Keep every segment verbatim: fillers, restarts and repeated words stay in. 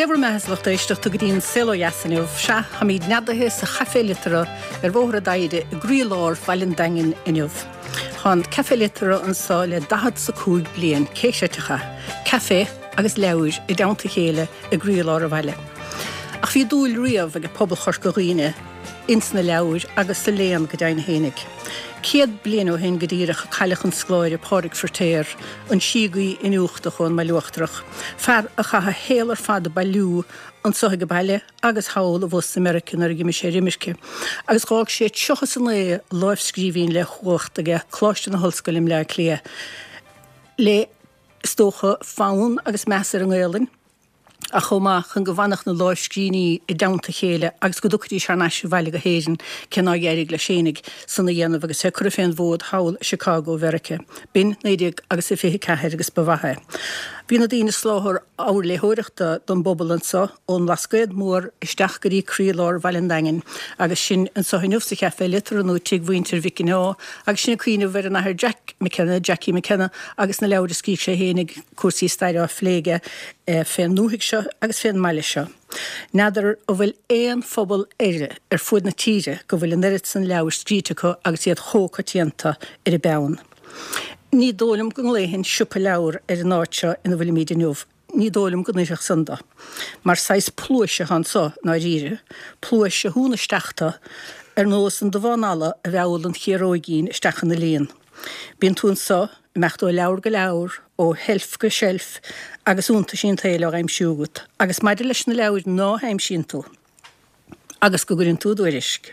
Dé bhur mbeatha, a lucht éisteachta go dtí an Saol Ó Dheas inniu. Sea, táimid neadaithe sa Chaifé Liteartha ar Bhóthar an Doire i gcroílár Bhaile an Daingin inniu. Tá an Café Liteartha anseo le daichead is a cúig bliain, cé chreidfeadh é? Caife agus leabhair i dteannta a chéile i gcroílár an bhaile. Ach bhí dúil riamh ag pobal Chorca Dhuibhne ins na leabhair agus sa léann go deimhin fhéinig. Céad bliain ó shin go díreach a cailleadh an scoláire Pádraig Feiritéar, an síogaí iniúchtach ón mBaile Uachtarach, fear a chaith a shaol ar fad ag bailiú anso ag baile agus thall abhus i Meiriceá nuair a d'imigh sé ar imirce, agus dh'fhág sé tríocha is a naoi lámhscríbhinn le huacht aige Coláiste na hOllscoile i mBleá Cliath le, is dócha, fonn agus meas ar an nGaelainn. Ach chomh maith, chun go bhfanfadh na lámhscríbhinní i dteannta a chéile agus go dtiocfaidís thar n-ais abhaile go hÉirinn, cé nár éirigh leis fhéinig san a dhéanamh agus é curtha fén bhfód thall i Chicago Mheiriceá. B'in naoi déag agus a fiche ceathair agus ba mhaith é. Bhí na daoine ag soláthar ábhar léitheoireachta don bpobal anso, ón mBlascaod Mór isteach go dtí croílár Bhaile an Daingin, agus sinn anso inniu sa Chaifé Liteartha nó tigh mhuintir Mhic an Ádha, agus sinn ag cuimhneamh ar an Athair Jack McKenna, Jackie McKenna, agus na leabhair a scrígh sé fhéinig, cúrsaí staire á phlé aige fén ndúthaigh seo agus fén mbaile seo. N'fheadar an bhfuil aon phobal eile ar fuaid na tíre go bhfuil an oiread san leabhar scríte acu agus iad chomh coitianta ar an bpeann. Ní dóigh liom go nglaofainn siopa leabhar ar an áit seo ina bhfuilimid inniu. Ní dóigh liom go n-oirfeadh san do. Mar saghas pluaise atá anso, i ndáiríre, pluais a shúnn isteach tu, ar nós an dubhán alla a mheall an chiaróigín isteach ina líon. Bíonn tú anso, ag imeacht ó leabhar go leabhar, ó sheilf go seilf, agus iontaisí an tsaoil á n-aimsiú agat. Agus maidir leis na leabhair ná haimsíonn tú, agus go gcuireann tú i dtuairisc,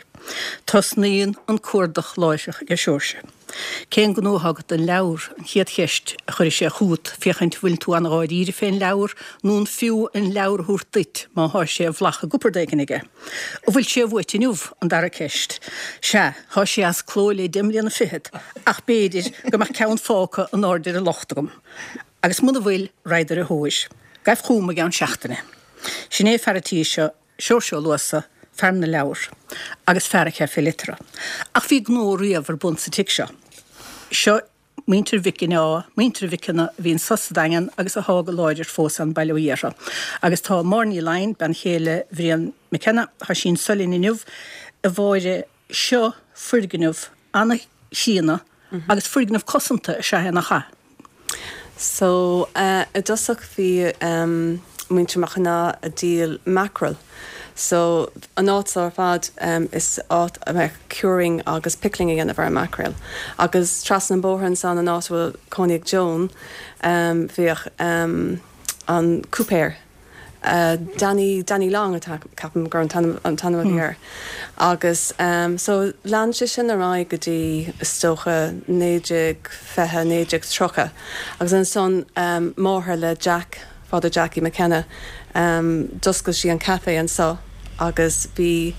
tosnaíonn an cuardach láithreach aige Seoirse. Cén gnó atá agat don leabhar? an chéad cheist a chuirfidh sé chugat, féachaint an bhfuil tú an-dháiríre fén leabhar, nó an fiú an leabhar a thabhairt duit má thá sé i bhflach i gcupard éigin aige. An bhfuil sé uait inniu? an dara ceist. Sea, thá sé as cló le deich mbliana fichead, ach b'fhéidir go mbeadh ceann fágtha in airde ar an locht agam. Agus muna bhfuil, raghad ar a thóir. Gabh chugam i gceann seachtaine. Sin é fear an tí seo, Seoirse Ó Luasa, fear na leabhar, agus fear an Chaifé Liteartha. Ach bhí gnó riamh ar bun sa tigh seo. Seo Muintir Mhic an Ádha, muintir Mhickenna a bhí anso sa Daingean agus athá go láidir fós ann, bail ó Dhia orthu. Agus tá Máire Ní Laighin, bean chéile Bhrian McKenna, tá sí anso linn inniu, a Mháire, seo foirgneamh an-chríonna agus foirgneamh cosanta is ea é, nach ea? So, i dtosach bhí muintir Mac an Ádha ag díol mackerel. So, an áit seo ar fad, is áit a mbeadh curing agus pickling a dhéanamh ar an mackerel. Agus trasna an bóthar ansan, an áit a bhfuil cónaí ag Joan, bhíodh an cúipéir, Danny, Danny Long atá, ceapaim gur an t-ainm, an t-ainm a bhí air. Agus so lean sé sin ar aghaidh go dtí is dócha naoi déag fiche, naoi déag tríocha. Agus ansan máthair le Jack, Father Jackie McKenna, d'oscail sí an café anso agus bhí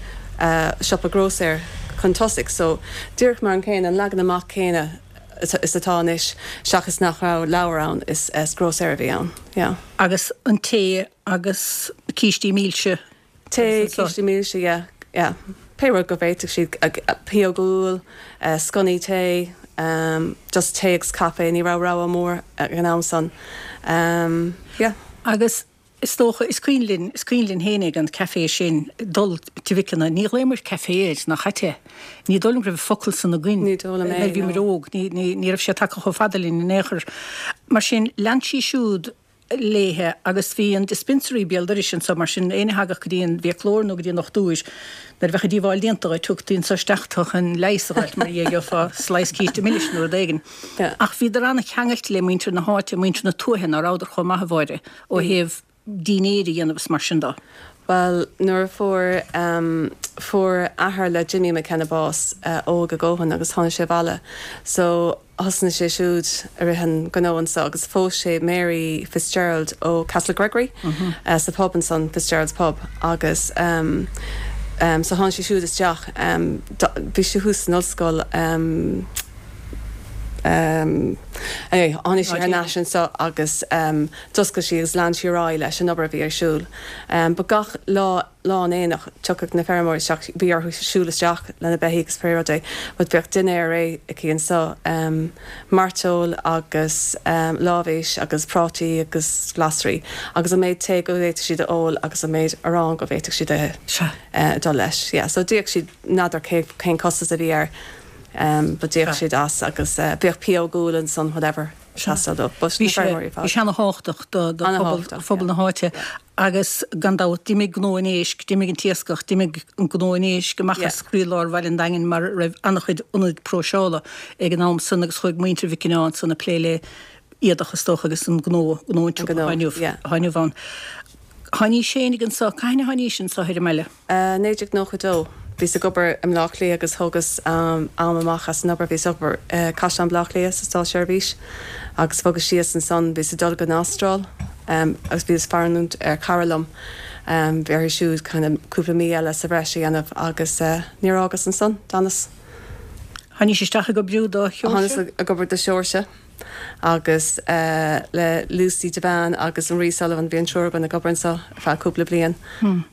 siopa grósaeir chun tosaigh. So díreach mar an céanna, an leagan amach céanna is atá anois seachas nach raibh leabhair ann, is grósaeir a bhí ann. Yeah. Agus an tae agus cístí milse. Tae, cístí milse, yeah, yeah. Pé rud go bhféadfadh siad, pióg úll, sconnaí tae, just tae agus caife, ní raibh rogha mór ag an am san. Yeah. Agus is dócha, is cuimhin linn, is cuimhin linn fhéinig an café sin, dul Tigh Mhickenna, ní ghlaomar café air, nach ait é? Ní dóigh liom go raibh an focal san againn. Ní dóigh liom é, nuair a bhíomar óg, ní, ní, ní raibh sé tagtha chomh fada linn in aon chor. Mar sin, lean sí siúd léithe agus bhí an dispensary béal dorais anso, mar sin, éinne a thagadh go dtí an bhfiaclóir nó go dtí an dochtúir, nuair a bheadh an díobháil déanta dhuit, tugtaí anso isteach tu chun leigheas a dh'fháilt, mar dhea, gheofá slice císte milis nó rud éigin. Ach bhíodar an-cheangailte le muintir na háite, muintir na tuaithe, ná rabhadar chomh maith, a Mháire, ó thaobh dínnéir a dhéanamh is mar sin do. Bhuel, nuair a fuair, fuair athair le Jimmy McKenna bás, óg a dhóthain agus tháinig sé abhaile. So, thosnaigh sé siúd ag rith an gnó anso agus phós sé Mary Fitzgerald ó Castlegregory sa pub ansan, Fitzgerald's Pub, agus so tháinig sé siúd isteach, bhí sé thuas san ollscoil, um, anyway, tháinig sí thar n-ais anseo agus um, d'oscail sí agus lean sí ar aghaidh leis an obair a bhí ar siúl. Um, but gach lá lá an aonach tiocfaidh na feirmeoirí isteach bhí orthu siúl isteach lena beithígh agus pé rud é, but bheadh dinnéar réidh aici anseo um, mairteoil agus um, lámhéis agus prátaí agus glasraí agus an méid tae go bhféadfadh siad a ól agus an méid arán go bhféadfadh siad a uh, dul leis. Yeah, so d'íoc siad n'fheadar cén costas a bhí air um, but d'íoc siad as agus uh, bheadh pióg úll ansan whatever. Bhí sé an-tábhachtach do phobal na háite agus gan dabht d'imigh gnó an éisc, d'imigh an t-iascach, d'imigh an gnó an éisc amach as croílár Bhaile an Daingin mar raibh an-chuid ionad próiseála ag an am san agus chuaigh muintir Mhic an Ádha ansan ag plé le éadach is dócha agus an gnó gnó an inniu ann. Tháinís féinig anso, cathain a tháinís anso ar an mbaile? Naoi déag nócha dó. Bhíos ag obair i mBleá Cliath agus thógas am amach as an obair, bhíos ag obair i Caisleán Bhaile Átha Cliath sa státseirbhís agus bhogas síos ansan, bhíos ag dul go Astráil agus bhíos ag fanúint ar chara liom, bhí uirthi siúd kind of cúpla mí eile sa bhreis a dhéanamh agus níor fhágas ansan, d'fhanas. Tháinís isteach ag obair do Sheoirse? Tháinas ag obair do Sheoirse. Agus le Lucy Devane agus an Rí Sullivan, bhí an triúr againn ag obair anseo ar feadh cúpla bliain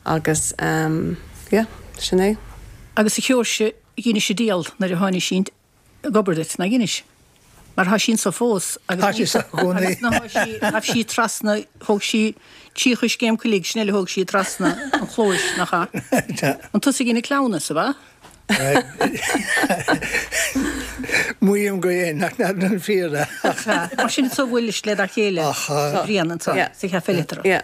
agus yeah, sin é. Agus a Sheoirse, dheinis díol nuair a tháinig sí ag obair duit, nach dheinis? Mar tá sí anso fós agus Tá sí sa gcónaí. Agus ghabh sí trasna, thóg sí trí choiscéim coiligh, sin eile thóg sí trasna an chlóis, nach ea? An tusa a dhein an cleamhnas, ab ea? Maím go dhein, ach n'fheadar an fíor é. Mar sin anso a bhuailis le dá chéile, Brian, anso, sa Chaifé Liteartha.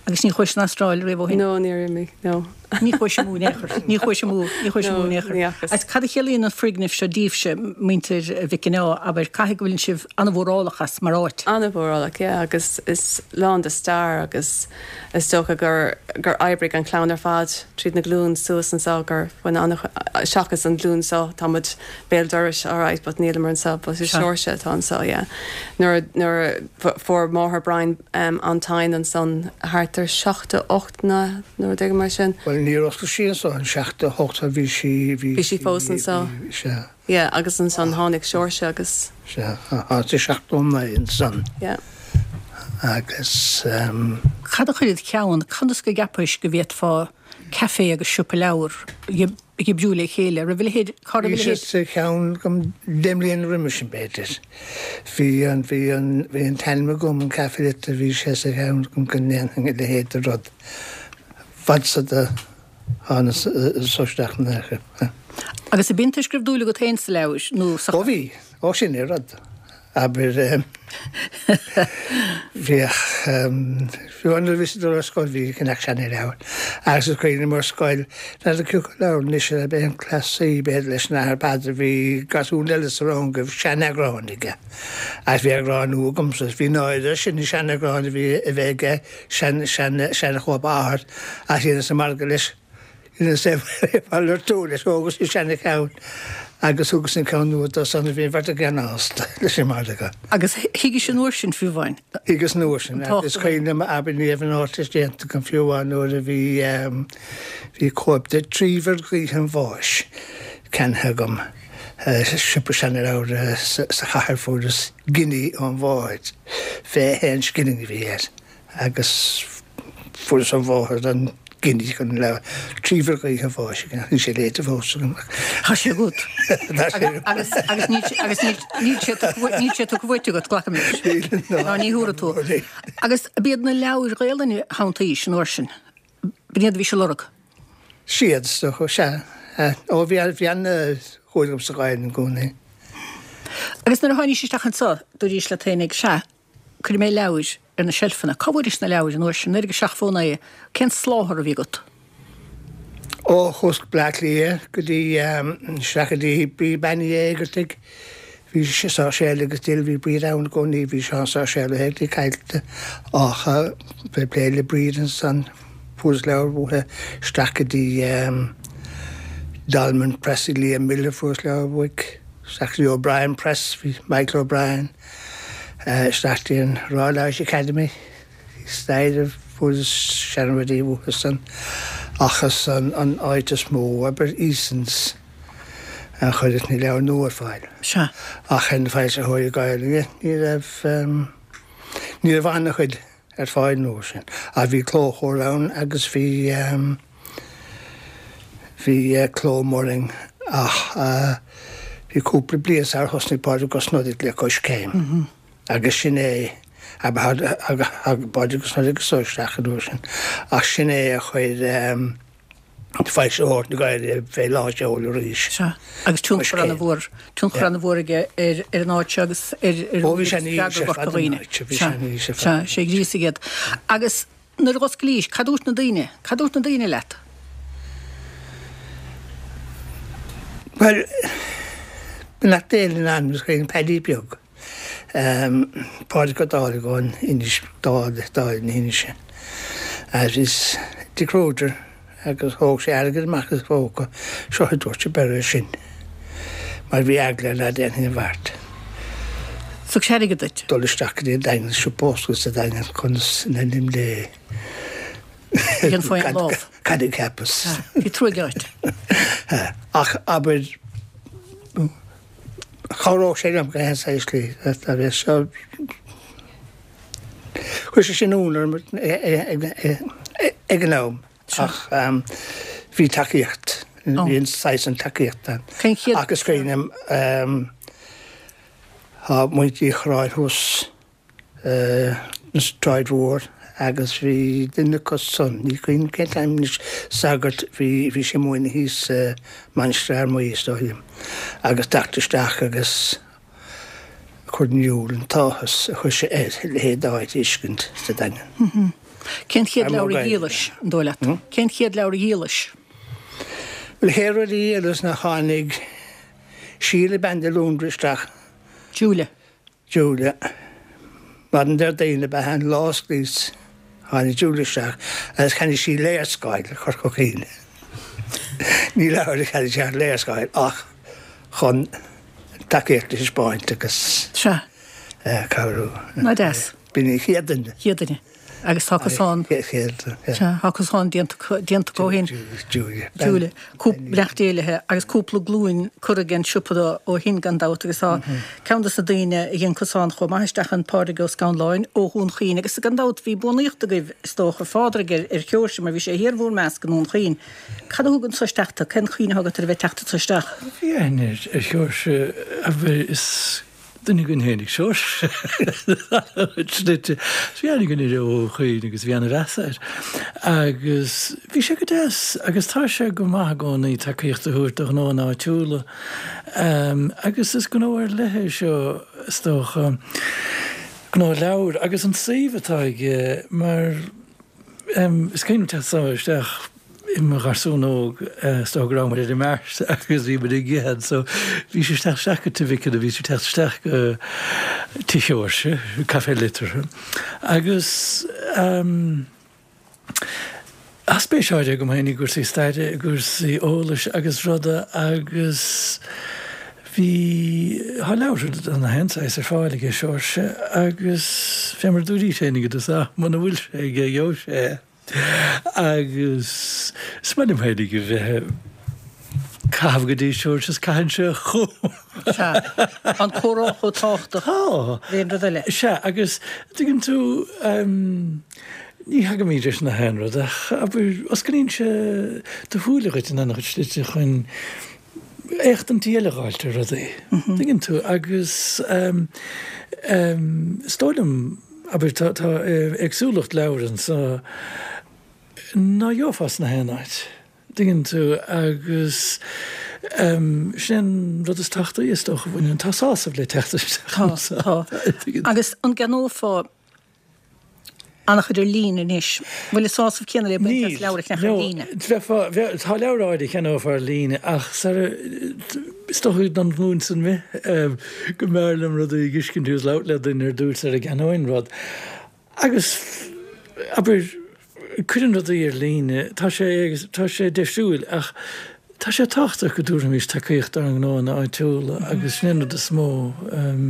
Agus ní chuais san Astráil riamh ó shin? No, níor imigh, no. Ní chuais amú in aon chor, ní chuais amú, ní chuais amú in aon chor. No, ní fhacas. Agus cad a chiallaíonn an foirgneamh seo daoibhse, muintir Mhic an Ádha, abair, caithfidh go bhfuileann sibh an-mhórálach as mar áit? An-mhórálach, yeah, agus is lán de stair agus is dócha gur, gur oibrigh an chlann ar fad tríd na glúin suas anseo gur bhain an, seachas an ghlúin seo, tá muid béal dorais, alright, but níleamar anseo, but is Seoirse atá anseo, yeah. Nuair, nuair a fuair máthair Brian an tigh ansan thart ar seachtó ocht nó rud éigin mar sin. Bhuel, níor oscail sí anso in seachtó hocht, bhí sí, bhí sí fós anso. Sea. Yeah, agus ansan tháinig Seoirse agus. Sea, thart ar seachtó naoi ansan. Yeah. Agus. Cad a chuir id cheann, conas go gceapais go bhféadfá caife agus siopa leabhar a oibriú le chéile? Raibh a leithéid, cá raibh a Bhí sé leithéid? sa cheann agam deich mbliana roimhe sin, b'fhéidir. Bhí an, bhí an, bhí an t-ainm agam, an Café Liteartha, bhí sé sa cheann agam go ndéanfainn a leithéid de rud. Fad is a thánas anso isteach in aon chor. Agus ab iontais go raibh dúil agat féin sa leabhar nó sa. Ó bhí, ó sin é rud. Abair, bhíodh, fiú nuair a bhíos ag dul ar scoil bhí ag ceannach seanleabhar. Agus is cuimhin liom ar scoil, n'fheadar cé acu leabhar anois a b'é an cleasaí b'fhéidir leis an Athair Peadar, bhí gasún eile sa rang go raibh seaneagrán aige. Agus bhí eagrán nua agamsa. Bhí náire air sin an seaneagrán a bhí a bheith aige, sean, sean, seanchóip a athar, ach dheineas an margadh leis. Dheineas é mhalartú leis, thógas an seana-cheann agus thugas an ceann nua dó san, bhí an bheirt againn an-shásta leis an margadh. Agus thuigis an uair sin fiú amháin? Thuigeas an uair sin. Is cuimhin liom, abair, ní raibh an Ardteist déanta agam fiú amháin nuair a bhí, bhí cóip de Tríomhar Gaoithe an Bháis ceannaithe agam i siopa seanleabhar sa chathair, fuaireas giní ón mháthair, fiche a haon scilling a bhí air agus fuaireas ón mháthair an giní chun an leabhar Tríomhar Gaoithe an Bháis a cheannach. Níl sé léite fós agam ach. Tá sé agat. Tá sé agam. Agus, agus níl sé, agus níl, níl sé tugtha, níl sé tugtha uait agat, glacaim leis. Níl, ná. Ná ní thabharfaidh tú. Níl. Agus ab iad na leabhair Ghaelainne a shantaís an uair sin? B'in iad a bhís ag lorg? Siad, is dócha, sea. Ó, bhí, bhí an-dhúil agam sa Ghaelainn i gcónaí. Agus nuair a tháinís isteach anso, dúraís leat féinig, sea, cuirfidh mé leabhair ar na seilfeanna. Cá bhfuairis na leabhair an uair sin? Naoi déag seachtó a naoi. Cén soláthar a bhí agat? Ó, chuas go Bleá Cliath go dtí, isteach go dtí bhí Bean Uí Éigeartaigh, bhí Sáirséal agus Dill, bhí Bríd ann i gcónaí, bhí Seán Sáirséal Ó hÉigeartaigh caillte ach bhí plé le Bríd ansan, fuaireas leabhair uaithi isteach go dtí Dolmen Press ag Liam Miller, fuaireas leabhair uaidh, isteach go dtí O'Brien Press, bhí Michael O'Brien. Isteach dtí an Royal Irish Academy staighre fuaireas seanrudaí uathusan ach is an an áit is mó, abair, Easons, A chuir na leabhair nua ar fáil. Sea. Ach an foilsitheoirí Gaeilge, ní raibh ní raibh an-chuid ar fáil nó sin. Ach bhí Clóchomhar ann agus bhí bhí Cló Moring ach bhí cúpla bliain sar thosnaigh Pádraig Ó Snodaigh le Coiscéim. Agus sin é Pádraig Ó Snodaigh so isteach an uair sin. Ach sin é a chuir foilsitheoir na Gaeilge fé lánseol arís. Sea, agus tionchar an-mhór, tionchar an-mhór aige ar ar an áit seo agus ar ar Ó bhí sé níos ar fad an áit, bhí sé níos ar fad. Sea, sé ghríosaigh iad. Agus nuair a dh'osclaís, cad dúirt na daoine? Cad dúirt na daoine leat? Bhuel, beannacht Dé lena anam, is cuimhin Paddy beag. Pádraig Ó Dálaigh ón Inis, Dáil na hInse. Agus Dick Rodger agus thóg sé airgead amach as a phóca, seo a dúirt sé beir é sin, mar bhí eagla air ná déanfainn an bheart. Thug sé airgead duit? Dul isteach go dtí an Daingean, siopa oscailte sa Daingean conas in ainm Dé. Ag an faoin lámh. Cad a cheapas? Bhí trua ort. Ach abair, chabhródh sé liom go haon saghas slí, a bheith seo. Chuir sé sin ionadh orm ag an am. Ach bhí tacaíocht, bhí an saghas an tacaíocht ann. Cén chéad. Ach is cuimhin liom, tá muintir Uí Chorráin thuas na Sráid Mhór agus bhí duine acu san, ní cuimhin liom cén t-ainm anois, sagart, bhí, bhí sé ag múineadh thíos sa Mainistir Fhear Maí is dóigh liom, agus teacht isteach agus cur in iúl an t-áthas a chuir sé air a leithéid d'áit a fheiscint sa Daingean. Cén chéad leabhar a dhíolais, an dóigh leat? Cén chéad leabhar a dhíolais? Bhuel, chéad rud a dhíolas ná tháinig Síle bean de Lúndra isteach. Julia. Julia. Maidin Déardaoin ab ea an lá a osclaíos, tháinig Julia isteach agus cheannaigh sí léarscáil Chorca Dhuibhne. Ní leabhar a cheannaigh sí ach léarscáil ach chun tacaíocht a thaispeáint agus Sea. cabhrú. Ná deas. B'in í an chéad duine. Chéad duine. Agus tá cosán. Sea, tá cosán déanta déanta acu ó shin. Julia. Julia. Beannacht Dé léi agus cúpla glúin curtha den siopa ó shin gan dabht agus tá ceann de na daoine a dhein cosán chomh maith isteach an Pádraig Ó Scanláin ó Dhún Chaoin agus gan dabht bhí buannaíocht agaibh is dócha Phádraig ar ar Sheoirse mar bhí sé thiar bhur measc i nDún Chaoin. Cad a thug anso isteach tú? Cén chuimhne atá agat ar a bheith teacht anso isteach? Bhí aithne ar Sheoirse a bhí is duine againn féinig Seoirse. Slite. Bhí aithne againn air ó Dhún Chaoin agus bhí an-mheas air. Agus bhí sé go deas agus tá sé go maith i gcónaí tacaíocht a thabhairt do ghnónna áitiúla. Agus is gnó ar leith é seo is dócha, gnó leabhar agus an suíomh atá aige mar is cuimhin liom teacht isteach i mo gharsún óg is dócha go raibh muid ar an mbeart agus bhí muid ag ithe so bhí sé teacht isteach go Tigh Mhic nó bhí sé teacht isteach go Tigh Sheoirse, Café Liteartha agus tá spéis áirithe agam féin i gcúrsaí staire, i gcúrsaí eolais agus ruda agus bhí, tá leabhartha de na haon saghas ar fáil aige Seoirse agus fé mar a dúraís féin i dtosach, muna bhfuil sé aige gheobhaidh sé é. Agus is maith liom féinig a bheith ag caitheamh go dtí Seoirse is caitheann sé chugam. Sea, an comhrá chomh tábhachtach Tá. le aon rud eile. Sea, agus tuigeann tú, ní thagaimid leis na haon rud ach abair, osclaíonn sé do shúile dhuit in an-chuid slite chun éachtaintí eile a dh'fháilt ar rudaí. Tuigeann tú, agus is dóigh liom, Abair, tá éagsúlacht leabhar anso ná gheofá sna haon áit, dtuigeann tú, agus sin an rud is tábhachtaí is dócha a bhaineann, tá sásamh le teacht isteach Tá, anso. tá. Agus an gceannófá an-chuid ar líne anois? Bhfuil an sásamh céanna le baint as Níl, leabhar a cheannach ar no, líne? bheifeá, bheadh, tá leabhar áirithe a cheannófá ar líne ach sara, is dócha don ghlúin san mé go mb'fhearr liom rudaí a dh'fheiscint agus labhairt le duine ar dtús sara gceannóinn rud. Agus, abair, cuireann rudaí ar líne, tá sé, tá sé deisiúil ach tá sé tábhachtach go dtabharfaimis tacaíocht dár ngnóanna áitiúla agus sin an rud is mó.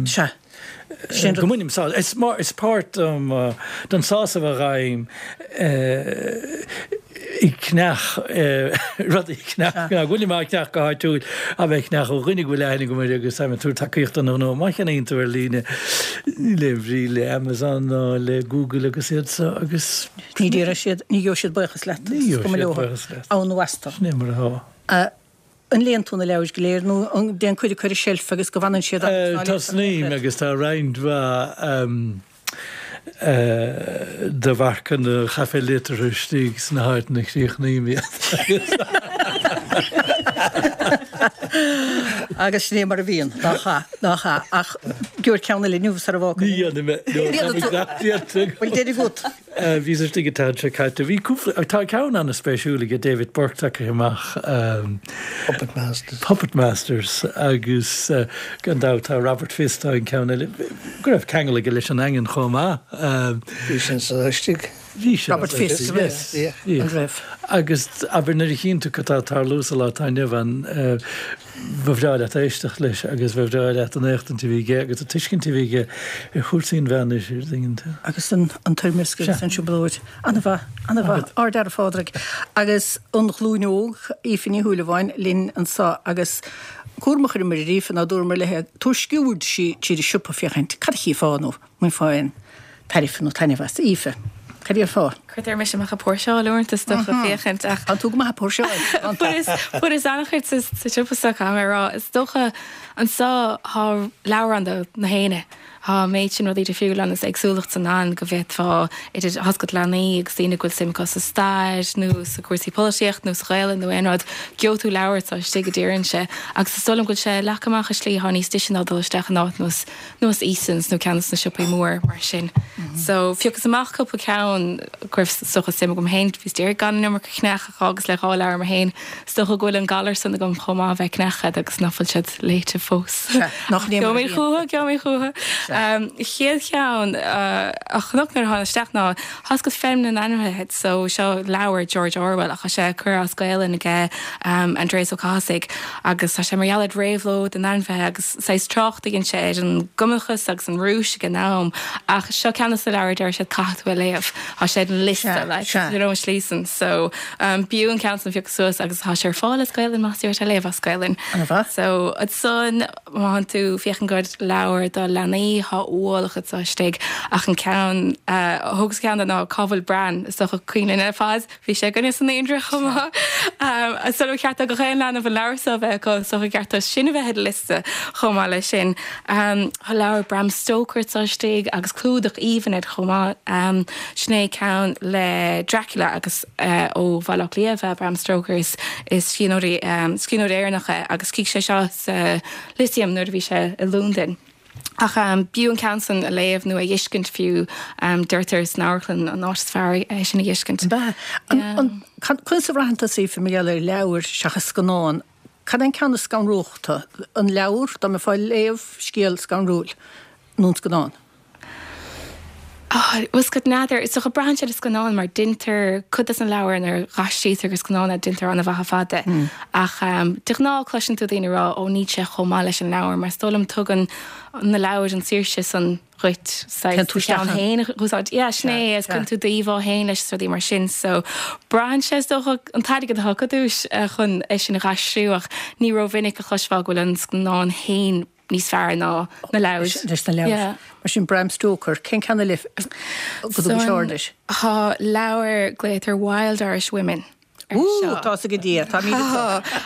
Sea. Sin Go mbainim sásamh, is, is páirt den sásamh a fhaighim ag ceannach rudaí ceannach bhfuil má ceannach go háitiúil a bheith ceannach ó dhuine go bhfuil aithne agam air agus táim ag tabhairt tacaíocht don ghnó má cheannaíonn tú ar líne le bhrí le Amazon nó le Google agus iad so agus Ní déarfaidh siad ní gheobhaidh siad buíochas leat Ní gheobhaidh siad buíochas leat. Ann nó astu. Sin é mar atá. An léann tú na leabhair go léir nó an dtéann cuid acu ar an tseilf agus go bhfanann siad ann? Tosnaím agus tá roinnt mhaith de mharcanna Chaifé Liteartha istigh sna háiteanna a chríochnaím iad. Agus sin é mar a bhíonn, nach ea, nach ea. Ach gheobhair ceann eile inniu sara bhfágfaidh. Ní dhéanfaidh mé, nó tá mé gach déanta agam. Bhfuil deireadh agat? Bhíos istigh an tseachtain seo caite. Bhí cúpla, tá ceann an-spéisiúil aige David Burke tagtha amach. Puppet Masters. Puppet Masters agus gan dabht tá Robert Fisk, tá an ceann eile, go raibh ceangal aige leis an nDaingean chomh maith. Bhí sin san istigh. Bhí sin. Robert Fisk, yes. An raibh? Agus abair nuair a chíonn tú cad tá ag tarlú sa lá atá inniu ann, ba bhreá leat éisteacht leis agus ba bhreá leat an éachtaint a bhí aige agus an tuiscint a bhí aige ar chúrsaí an mheánoirthir, tuigeann tú. Agus an toirmeasc agus an trioblóid. An-mhaith, an-mhaith. Ardfhear a Phádraig. Agus an ghlúin óg, Aoife Ní Shúilleabháin, linn anseo agus cúram a chuireamar ar Aoife ná dúramar léi tabhair sciuird di tríd an siopa féachaint cad a chífeá nó an mbainfeá aon tairbhe nó taitneamh as. Aoife. Cad a dhéarfá? Cuirtear mise amach ag póirseáil uaireanta is dócha féachaint ach. Tá tú go maith ag póirseáil. Fuaireas fuaireas an-chuid sa sa siopa seo caithfidh mé a rá. Is dócha anseo thá leabhar ann do na héinne. Thá an méid sin rudaí difriúla ann is éagsúlacht san ann go bhféadfá idir tá's agat leanaí agus daoine go bhfuil suim acu sa stair nó sa cúrsaí polaitíocht nó sa Ghaelainn nó aon rud, gheobhaidh tú leabhar atá istigh a deirimse agus is dóigh liom go bhfuil sé leagtha amach i slí atá níos deise ná dul isteach in áit nós nós Easons nó ceann de na siopaí mór mar sin. So phiocas amach cúpla ceann go raibh is dócha suim agam féin, bhíos d'iarraidh gan an iomarca a cheannach ach fhágas le dhá leabhar mé féin. Is dócha go bhfuil an galar san agam chomh maith a bheith ag ceannach iad agus nach bhfuil siad léite fós. Sea, nach ní mar a Gheobhaidh mé bhíonn. chucu, gheobhaidh mé chucu. Sea. Um, chéad cheann uh, a chonac nuair a thána isteach ná tá's agat Feirm na nAinmhithe, so seo leabhar George Orwell ach tá sé curtha as Gaelainn aige um, Aindrias Ó Cathasaigh agus tá sé mar gheall ar réabhlóid na n-ainmhithe agus saghas trácht a dhein sé ar an gcumannachas agus an Rúis ag an am ach seo ceann de na leabhair a deir siad caithfidh tú a léamh. Tá sé ar an liosta Sea, like, sea. you know, an slí san. So um, b'fhiú an ceann san a phiocadh suas agus tá sé ar fáil as Gaelainn más iarraidh é a léamh as Gaelainn. An-mhaith. So ansan má tánn tú ag féachaint do leabhar do leanaí thá ualach anseo istigh ach an ceann uh, thógas ceann de ná Cá bhfuil Bran is dócha cuimhin linn ar fad bhí sé againne sa naíonra chomh maith. Um, so ceart do gach aon leanbh an leabhar seo a bheith acu so ceart dó sin a bheith ar an liosta chomh maith leis sin. Um, Tá leabhar Bram Stoker anseo istigh agus clúdach aoibhinn air chomh maith. Um, sin é ceann le Dracula agus uh, ó Bhaile Átha Cliath bheith Bram Stoker is, is scríbhneoir um, scríbhneoir Éireannach é agus chífidh sé seo sa Lyceum nuair a bhí sé i Londain. Ach um, b'fhiú an ceann san a léamh nó a fheiscint fiú um, deirtear san amharclann an áit is fearr é sin a fheiscint. Ba an Yeah. an conas a bhraitheann tusa Aoife mar gheall ar leabhar seachas scannán, cad é an ceann is scanrúchta an leabhar dá mbeifeá ag léamh scéal scanrúil nó an scannán? Oh, was go n'fheadar is dócha braitheann sé le scannán mar deintear cuid des na leabhair nuair a aistrítear go scannán deintear an-mhaith fada. Mm. Ach um, de ghnáth cloiseann tú daoine rá ó níl sé chomh maith leis an leabhar, mar is dóigh liom tugann na leabhair an saoirse san dhuit Téann tú isteach ann. féin úsáid. Yeah, sin é is cuireann tú d'íomhá féin leis rudaí mar sin, so braitheann sé is dócha an t-airgead atá acu dúis eh, chun é sin a aistriú ach ní rómhinic a chloisfeá go bhfuil an scannán féin níos fearr ná na leabhair. Leis na leabhair. Yeah. Mar sin Bram Stoker, cén ceann eile go dtugann sé aird leis? Tá leabhar glaotar Wild Irish Women. ar Ú, seo. tá a go dtí, tá mí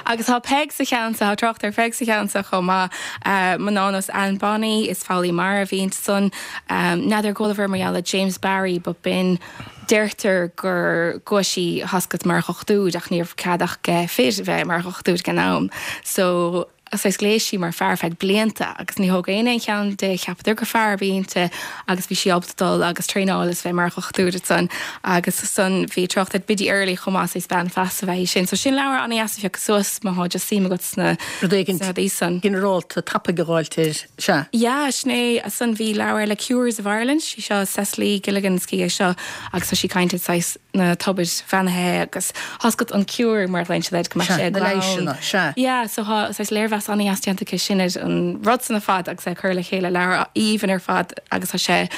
Agus tá Peig sa cheann seo tá trácht ar Pheig sa cheann seo chomh maith uh, mná ar nós Anne Bonny is foghlaí mara a bhí ansan um, n'fheadar chualabhair mar gheall ar James Barry but b'in deirtear gur ghabh sí tá's agat mar dhochtúir ach ní raibh cead ach fir bheith mar dhochtúir ag an am. So saghas ghléas sí mar fear feadh blianta agus ní thóg aon aon cheann de cheapadar gur fear a bhí inti agus bhí sí ábalta dul agus traenáil is bheith mar dhochtúir san agus san bhí trácht ar Biddy Early chomh maith is bean feasa a bhí sin. So sin leabhar an-deas a phiocadh suas má thá just suim agat sna Rud éigin sna rudaí san. ginearálta tapaidh a dh'fháilt sea. Ja, sin é san bhí leabhar le Cures of Ireland, sí seo Cecily Gilligan cí é seo agus tá sí ag caint saghas na tobair bheannaithe agus tá's agat an cure mar lein sé go Sea, sé na leighseanna, sea. Yeah, so thá saghas léirmheas léirmheas an-deas déanta aici sin ar an rud san ar fad agus é cur le chéile leabhar aoibhinn ar fad agus tá sé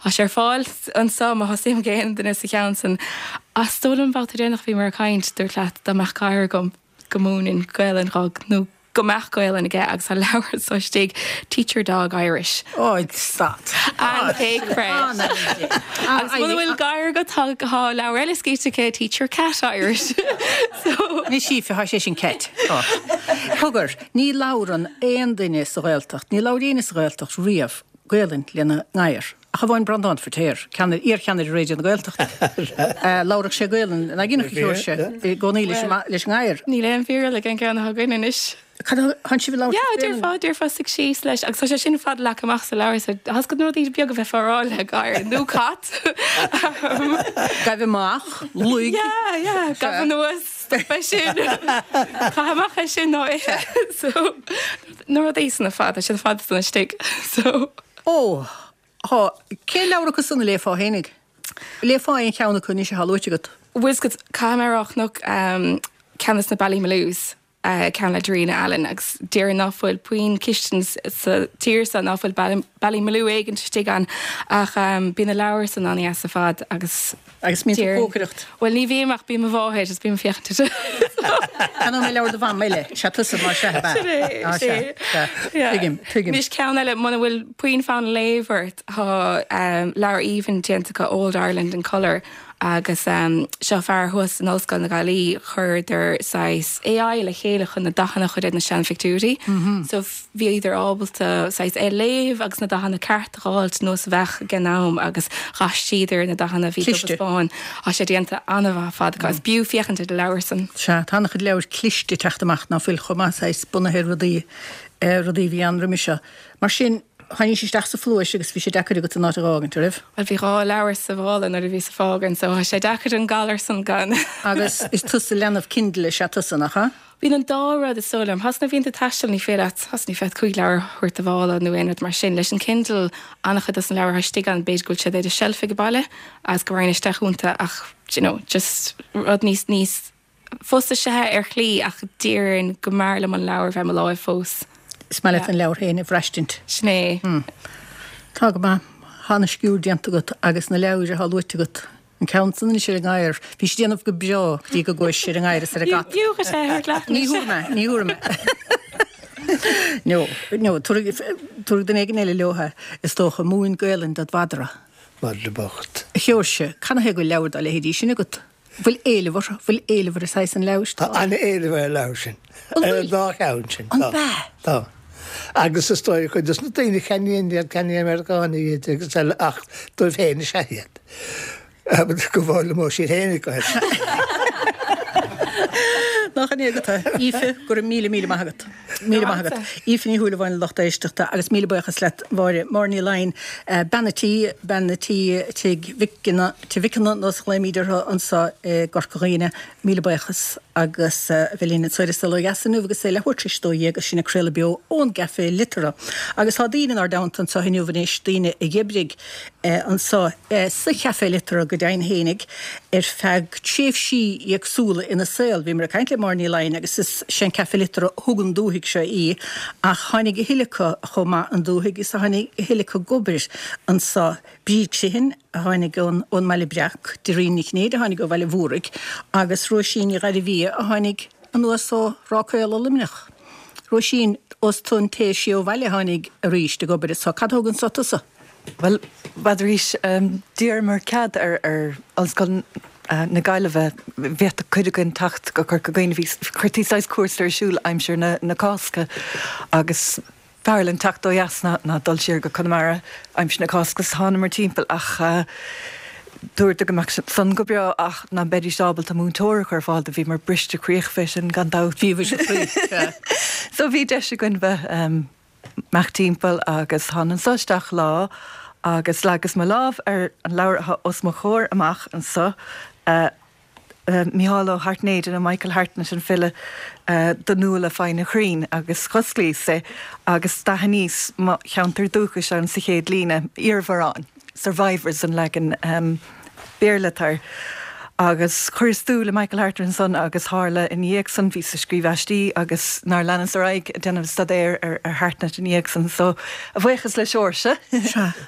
tá sé ar fáil anseo má tá suim ag aon duine sa cheann san. Is dóigh liom babhta deireanach bhíomar ag caint dúirt leat dá mbeadh gadhar agam go múinfinn Gaelainn dhó nó go mbeadh Gaelainn aige agus tá leabhar anseo istigh Teach Your Dog Irish. Ó stad. An céad Agus muna bhfuil gadhar agat tá leabhar eile scríte aici Teach Your Cat Irish. So Ní sí tá sé sin cat. Cogar, ní labhrann aon duine sa Ghaeltacht, ní labhraíonn sa Ghaeltacht riamh Gaelainn lena ngadhar. Ach amháin Breandán Feiritéar, iarcheannaire Raidió na Gaeltachta. Labhraíodh sé Gaelainn na gine sé i gcónaí leis an ngadhar. Níl aon fíor le an ceann atá againn anois. Chan si le déarfá déarfá suigh síos leis agus tá sé sin fad leagtha amach sa leabhar so has go rudaí beag a bheith fárá le gadhar nó cat. Gabh amach luigh. Yeah, yeah, gabh anuas stop sin. Caith amach é sin nó é. So na rudaí san fad sé fad san istigh. So Ó Tá cé leabhar acu san a léifeá fhéinig? Léifeá aon cheann acu anois atá luaite agat. Bhuel caithfidh mé a rá um, ceann de na Ballymaloos. Uh, ceann le Darina Allen agus déarfainn ná fuil puinn cistin sa tír seo ná fuil Ballymaloe éigin istigh ann ach um, bíonn na leabhair san an-deas ar fad agus Agus mín cócaireacht. Well ní bhím ach bíonn mo mháthair is bím ag féachaint. Tá mé leabhar do mham eile sé tusa mar se Tuigim, tuigim. Anois ceann eile muna bhfuil puinn fonn léamh ort tá um, leabhar aoibhinn déanta acu Old Ireland in Colour agus um, seo fear thuas in Ollscoil na Gaillimhe chuireadar saghas AI le chéile chun na dathanna a chur ar na seanphictiúirí. Mm -hmm. So bhíodar ábalta saghas é léamh agus na dathanna ceart a fháilt nós a bheadh ag an am agus dhathraíodar na dathanna bhí Cliste. bán Tá sé déanta an-mhaith fad agus b'fhiú féachaint ar na leabhair san. Se tá an-chuid leabhar cliste teacht amach ná fuil chomh maith saghas bunaithe rudaí eh, rudaí bhí ann roimhe seo. Mar sin tháinig isteach sa phluais agus bhí sé deacair agat an áit a fhágaint raibh. Well bhí dhá leabhar sa mhála nuair a bhí sa fágan, so tá sé deacair an galar san gan. Agus is tusa leanbh Kindle sé tusa nach ea? Bíonn an dá rud is dóigh liom. Has na bhíonn tú ag taisteal ní féidir leat has ní féidir cúig leabhar a thabhairt i do mhála nó aon rud mar sin leis an Kindle an-chuid des na leabhair istigh ann b'fhéidir go bhfuil siad ar an shelf ag baile agus go raibh isteach iontu ach you know, just rud níos níos fusa sé ar shlí ach déarfainn go mb'fhearr liom an leabhar bheith i mo láimh fós. Is maith leat an leabhar féin a bhraistint. Sin é. Tá go maith tá an sciúr déanta agat agus na leabhair atá luaite agat. An ceann san sé an gadhar, Bhí sé déanamh go breá go dtí go gcuaigh sé ar an ngadhar is ar an gcat. Dúcha sé ar leat. Ní thuair mé, ní thuair mé. No, no, tabharfaidh duine éigin eile leo is dócha múin Gaelainn dod mhadra. Madra bocht. Sheoirse, canathaobh go bhfuil leabhar dá leithéidí sin agat? Bhfuil éileamh orthu, bhfuil éileamh ar saghas an leabhair Tá an-éileamh ar an leabhar sin. An Ar bhfuil? an dá cheann sin. An Tá. bea? Tá. Agus is dóigh cuid dos na daoine ceannaíonn iad ceannaíonn Meiriceánaigh iad agus eile ach dóibh féin is ea iad. Go bhfoghlaimeodh siad féin go Nach an agat Aoife go raibh míle míle maith agat. Míle maith agat. Aoife Ní Shúilleabháin lucht éisteachta agus míle buíochas leat Mháire Máire Ní Laighin bean an tí bean an tí Tigh Mhic Mhic nós ghlaoimid orthu anseo i gCorca Dhuibhne míle buíochas agus bhí linn an tSoire Solo Dheasanú agus é leathuair tar éis dó dhéag agus sinn ag craoladh beo ón gCaifé Liteartha. Agus tá daoine inár dteannta anseo inniu anois daoine a d'oibrigh anseo sa Chaifé Liteartha go deimhin fhéinig ar feadh tréimhsí éagsúla ina saol. Bhí mar ag caint le Máire Ní Laighin agus is sé an Caife Liteartha a thug an dúthaigh seo í ach tháinig a thuilleadh acu chomh maith an dúthaigh is a tháinig a thuilleadh acu ag obair anseo Bríd Criomhthain a tháinig ón ón mBaile Breac, Doreen Nic Cinnéide a tháinig ó Bhaile Mhúraigh agus Róisín Ní Ghairbhia a tháinig anuas ó Ráth Caola Luimneach. Róisín os tú an té sí ó bhaile a tháinig arís ag obair anseo cad a thug anseo tusa? Well, b'fhéidir um, d'iarramar cead ar ar Ollscoil uh, na Gaillimhe bheith cuid againn teacht go Corca Dhuibhne bhí chuirtí saghas cúrsa ar siúl aimsir na, na Cásca agus b'fhearr linn teacht ó dheas ná, ná dul siar go Conamara aimsir na Cásca thánamar timpeall ach uh, dúirt go mbeadh san go breá ach ná beidís ábalta múinteoir a chur ar fáil do bhíomar briste croí fé sin gan dabht. Bhí bhí sé So bhí deis againn bheith um, amach timpeall agus thána anseo isteach lá agus leagas mo lámh ar an leabhar atá os mo chomhair amach anseo uh, uh, Micheál Ó hAirtnéide nó Michael Hartnett an file uh, do Nuala foighne chruinn agus chosclaíos é agus d'aithníos mo cheantar dúchais ann sa chéad líne iarmharáin, Survivors an leagan um, Béarla air. Agus chuireas dúil i Michael Hartnett ansan agus tharla ina dhiaidh san bhíos ag scríobh aistí agus nár leanas ar aghaidh ag déanamh staidéir ar ar Hartnett ina dhiaidh san. So a bhuíochas le Seoirse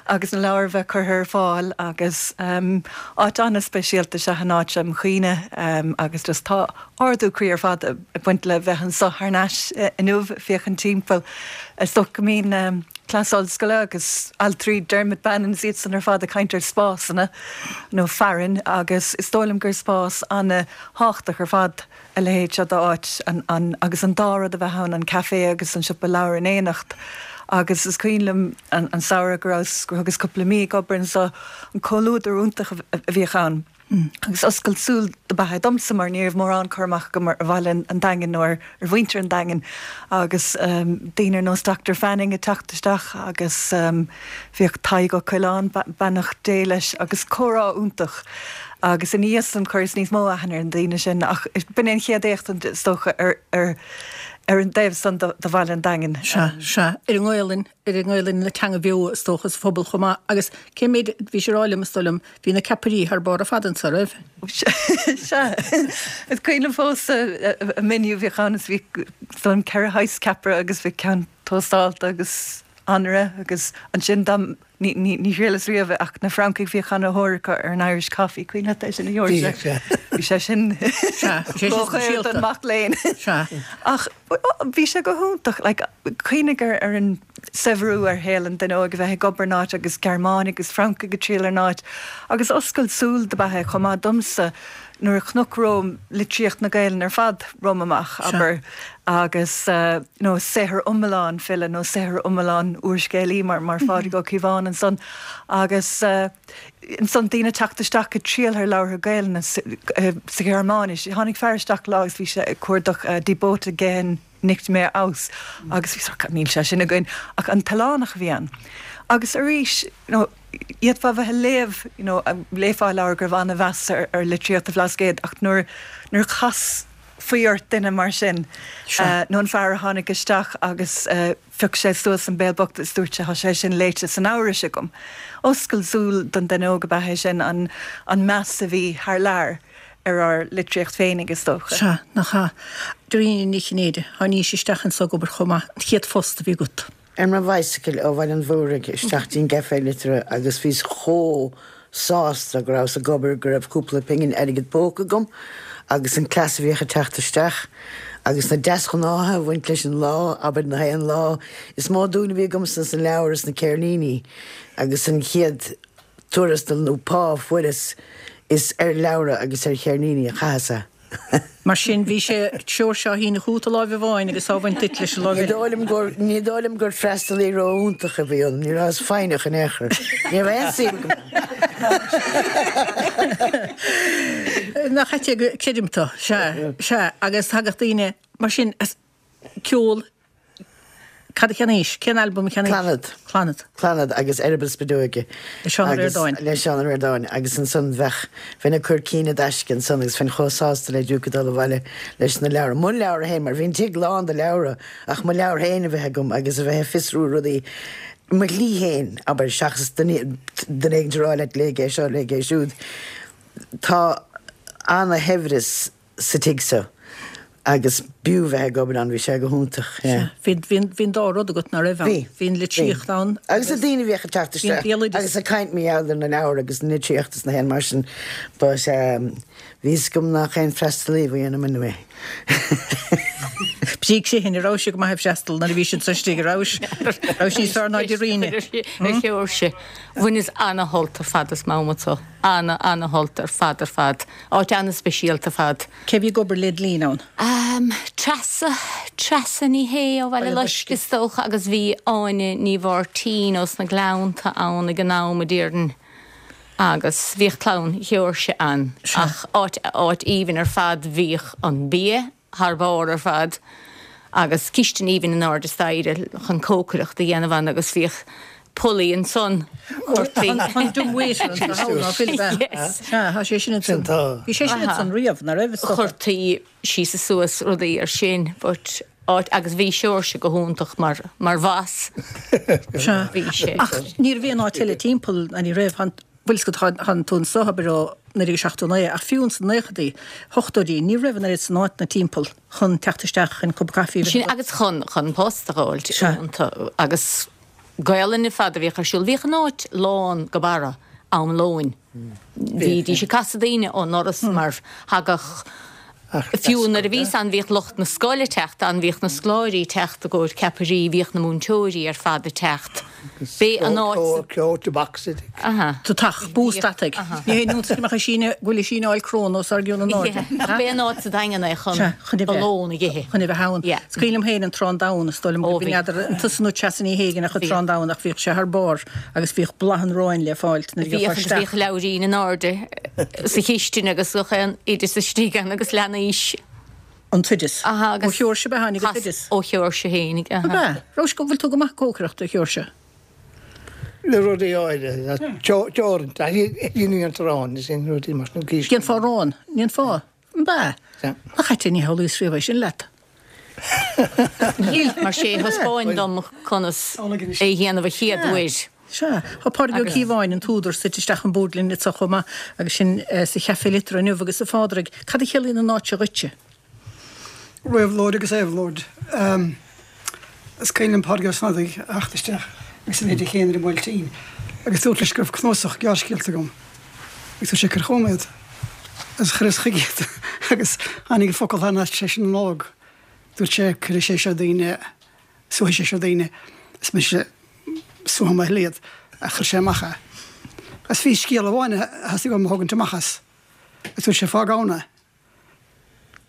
agus na leabhair a bheith curtha ar fáil agus um, áit an-speisialta is ea an áit seo im chuimhne um, agus just tá ardú croí ar fad ag baint le bheith anseo thar n-ais inniu féachaint timpeall. Is dócha go mbíonn um, cleas ollscoile agus altraí Dermot Bannon is iad san ar fad ag caint ar spásanna nó fearainn agus is dóigh liom gur spás an-thábhachtach ar fad a leithéid seo d'áit an, an, agus an dá rud a bheith ann, an café agus an siopa leabhar in éineacht. Agus is cuimhin liom an, an samhradh go rabhas, gur thugas cúpla mí ag obair anseo, an comhluadar iontach a, a bhíodh ann. Agus oscailt súl dob ea é domsa mar ní raibh mórán cur amach agam ar bhaile an Daingin nó ar mhuintir an Daingin agus daoine ar nós Doctor Fanning ag teacht isteach agus bhíodh Tadhg Ó Coileáin, beannacht Dé leis, agus comhrá iontach agus ina dhiaidh san chuireas níos mó aithne ar na daoine sin ach b'in é an chéad éachtaint is dócha ar ar ar an dtaobh san de bhaile an Daingin. Sea, sea, ar an nGaelainn, ar an nGaelainn ina teanga bheo is dócha sa phobal chomh maith agus cé mhéad, bhí sé rá liom is dóigh liom, bhí na ceapairí thar barr ar fad anso, raibh? Sea, is cuimhin liom fós an menu a bhíodh ann is bhí, is dóigh liom ceithre shaghas ceapaire agus bhí ceann tóstálta agus anraith agus ansin dá Ní, ní, ní thriaileas riamh é ach na Francaigh bhíodh ana-thóir acu ar an Irish Coffee, cuimhin leat é sin a Sheoirse? Bhíodh, sea. Bhí sé sin Sea, bhí sé sin ródhaor don speisialta. mac léinn. Sea. Ach bhí sé go hiontach, like, cuimhnigh ar, ar an saibhriú ar shaol an duine óig a bheith ag obair in áit agus Gearmánaigh agus Francaigh ag triall ar an áit agus oscailt súl dob ea é chomh maith domsa nuair a chonac romham litríocht na Gaelainne ar fad romham amach, abair, agus you know saothar iomlán file nó saothar iomlán úrscéalaí mar mar Phádraig Ó Cíobháin ansan agus ansan daoine ag teacht isteach ag triall ar leabhartha Gaelainne sa Ghearmáinis. Tháinig fear isteach lá agus bhí sé ag cuardach Die Boote gehen nicht mehr aus agus bhí sort níl sé sin againn ach an t-oileánach a bhí ann. Agus arís, you know, d'fhéadfá a bheith ag léamh, you know, léifeá leabhar go raibh an-mheas ar, ar litríocht an Bhlascaoid ach nuair, nuair chas faoi ort duine mar sin, uh, nó an fear a tháinig isteach agus uh, phioc sé suas an Béal Bocht is dúirt sé tá sé sin léite san Eabhrais agam. Oscailt súl don duine óg ab ea é sin an, an meas a bhí thar lear ar ár litríocht féinig is dócha. Sea, nach ea. Dairena Ní Chinnéide, tháinís isteach anso ag obair chomh maith, an chéad phost a bhí agat. Ar mo bhicycle ó Bhaile an Mhúraigh isteach dtí'n gCaifé Liteartha agus bhíos chomh sásta go rabhas ag obair go raibh cúpla pingin airgead póca agam agus an cleas a bhíodh ag teacht isteach agus na deasghnátha a bhaint leis an lá, abair na haon lá. Is mó dúil a bhí agamsa sna leabhair is na ceirníní agus an chéad tuarastal nó pá a fuaireas is ar leabhra agus ar cheirníní a chaitheas é. Mar sin bhí sé Seoirse á shíneadh chugat láimh amháin agus á bhaint duit leis an láimh Ní eile. dóigh liom gur, ní dóigh liom gur freastalaí ró-iontach a bhí ionam, ní rabhas foighneach in aon chor. Ní raibh aon suim agam. Nach ait é go, creidim tú, sea, sea, agus thagadh daoine, mar sin, as ceol, Cad a cheannaís? Cén albam a cheannaís? Clannad. Clannad. Clannad agus Eireaball Spideoige. Le Seán Ó Ríordáin. Le Seán Ó Ríordáin. Agus ansan bheadh, bheinn ag cur cinn i dtaisce ansan agus bheinn chomh sásta le diúc ag dul abhaile leis na leabhra. Mo leabhra féin, mar bhí an tigh lán de leabhra, ach mo leabhar féin a bheith agam agus a bheith ag fiosrú rudaí mo shlí féin, abair, seachas duine duine éigin a rá leat léigh é seo, léigh é siúd. Tá ana-shaibhreas sa tigh seo agus b'fhiú bheith ag obair ann, bhí sé go hiontach, yeah. Bhí, bhí, bhí an dá rud agat, ná raibh ann? Bhí. Bhí an litríocht ann. Agus na daoine a bhíodh ag teacht Bhí an isteach béaloideas. agus ag caint mar gheall ar na leabhair agus an litríocht is na haon mar sin, but um, bhí fhios agam nach aon freastalaí a bhí ionam anyway. Bíodh sé sin, raibh sé go maith ag freastal nuair a bhí siad sa stigh, raibh raibh sé níos fearr ná Dairena. A Sheoirse, bhaineas ana-shult ar fad as Mám anso. Ana, ana-shult ar fad ar fad. Áit ana-speisialta ar fad. Cé bhí ag obair led linn ann? Um, Treasa, Treasa Ní Shé ó Bhaile Loiscthe is dócha agus bhí Áine Ní Mháirtín ós na Gleannta ann ag an am a déarfainn. Agus bhíodh clann Sheoirse ann. Ach áit, áit aoibhinn ar fad bhíodh an bia thar barr ar fad agus cistin aoibhinn in airde staighre chun cócaireacht a dhéanamh ann agus bhíodh pulley ansan chuirtí. An dumb-waiter an ná fuil bheith. Yes. Sea, tá sé sin Sin ansan. tá. Bhí sé sin ansan riamh, ná raibh is dócha. Chuirtí síos is suas rudaí ar sin, but áit agus bhí Seoirse go hiontach mar mar bhoss. Sea. Bhí sé. Ach ní raibh aon áit eile timpeall ná ní raibh, bhfuil fhios agat tánn tú anso abair ó naoi déag seachtó naoi, ach fiú ins na naochadaí, hochtóidí, ní raibh an oiread san áiteanna timpeall chun teacht isteach chun cupa caife a bheith Sin agus chun chun post a fháilt agus Gaelainn ar fad a bhíodh ar siúl. Bhíodh an áit lán go barra am lóin. Bhídís ag casadh daoine ón ndoras mar thagadh Fiú nuair a bhíos ann bhíodh lucht na scoile ag teacht ann, bhíodh na scoláirí ag teacht i gcomhair ceapairí, bhíodh na múinteoirí ar fad ag teacht. B'é an áit. Ceol to box it. Aha. Tá tach, bús deataigh. Ní hé nó go mbeadh a síneadh, go bhfuil a síneáil crón os ár gcionn in airde. Ach b'é an áit sa Daingean é chun a lón a ithe. Chun a bheith ann. Is cuimhin liom féin an Trán Donn, is dóigh liom go n'fheadar an tusa nó Treasa Ní hÉigin ach an Trán Donn ach bhíodh sé thar barr agus bhíodh boladh an aráin le fáilt nuair a Bhíodh gheofá agus isteach. bhíodh leabhairín in airde sa chistin agus gach aon oideas istigh ann agus leanaís. An t-oideas. Aha, Ó agus Sheoirse ab ea tháinig an chas t-oideas? ó Sheoirse fhéinig, Ab aha. ea? Raibh go bhfuil tú go maith cócaireachta, a Sheoirse? Le rudaí áirithe, teoranta, ní an t-arán, is sin rudaí mar sin. Déanfá arán, ndéanfá? Ab ea? Nach ait é, ní shamhlaíos riamh é sin leat. Níl, mar sé thaispeáin dom conas é a dhéanamh a chéad uair. Sea, tá Pádraig Ó Cíobháin, an t-údar, suite isteach an bord linn anseo chomh maith agus sinn sa Chaifé Liteartha inniu agus a Phádraig, cad a chiallaíonn an áit seo dhuitse? Réabhlóid agus éabhlóid. Is cuimhin liom Pádraig Ó Snodaigh a theacht isteach agus a bheith Dé Céadaoin ar an mBuailtín agus dúirt leis go raibh cnuasach gearrscéalta agam agus dúirt sé cuir chugam iad agus chuireas chuige iad agus tháinig an focal thar n-ais tar éis na Nollag. Dúirt sé cuirfidh sé seo daoine, suaithfidh sé seo daoine is mise suaithim a thuilleadh ach chuir sé amach é. Agus bhí scéal amháin a theastaigh uaim a thógaint amach as agus dúirt sé fág ann é.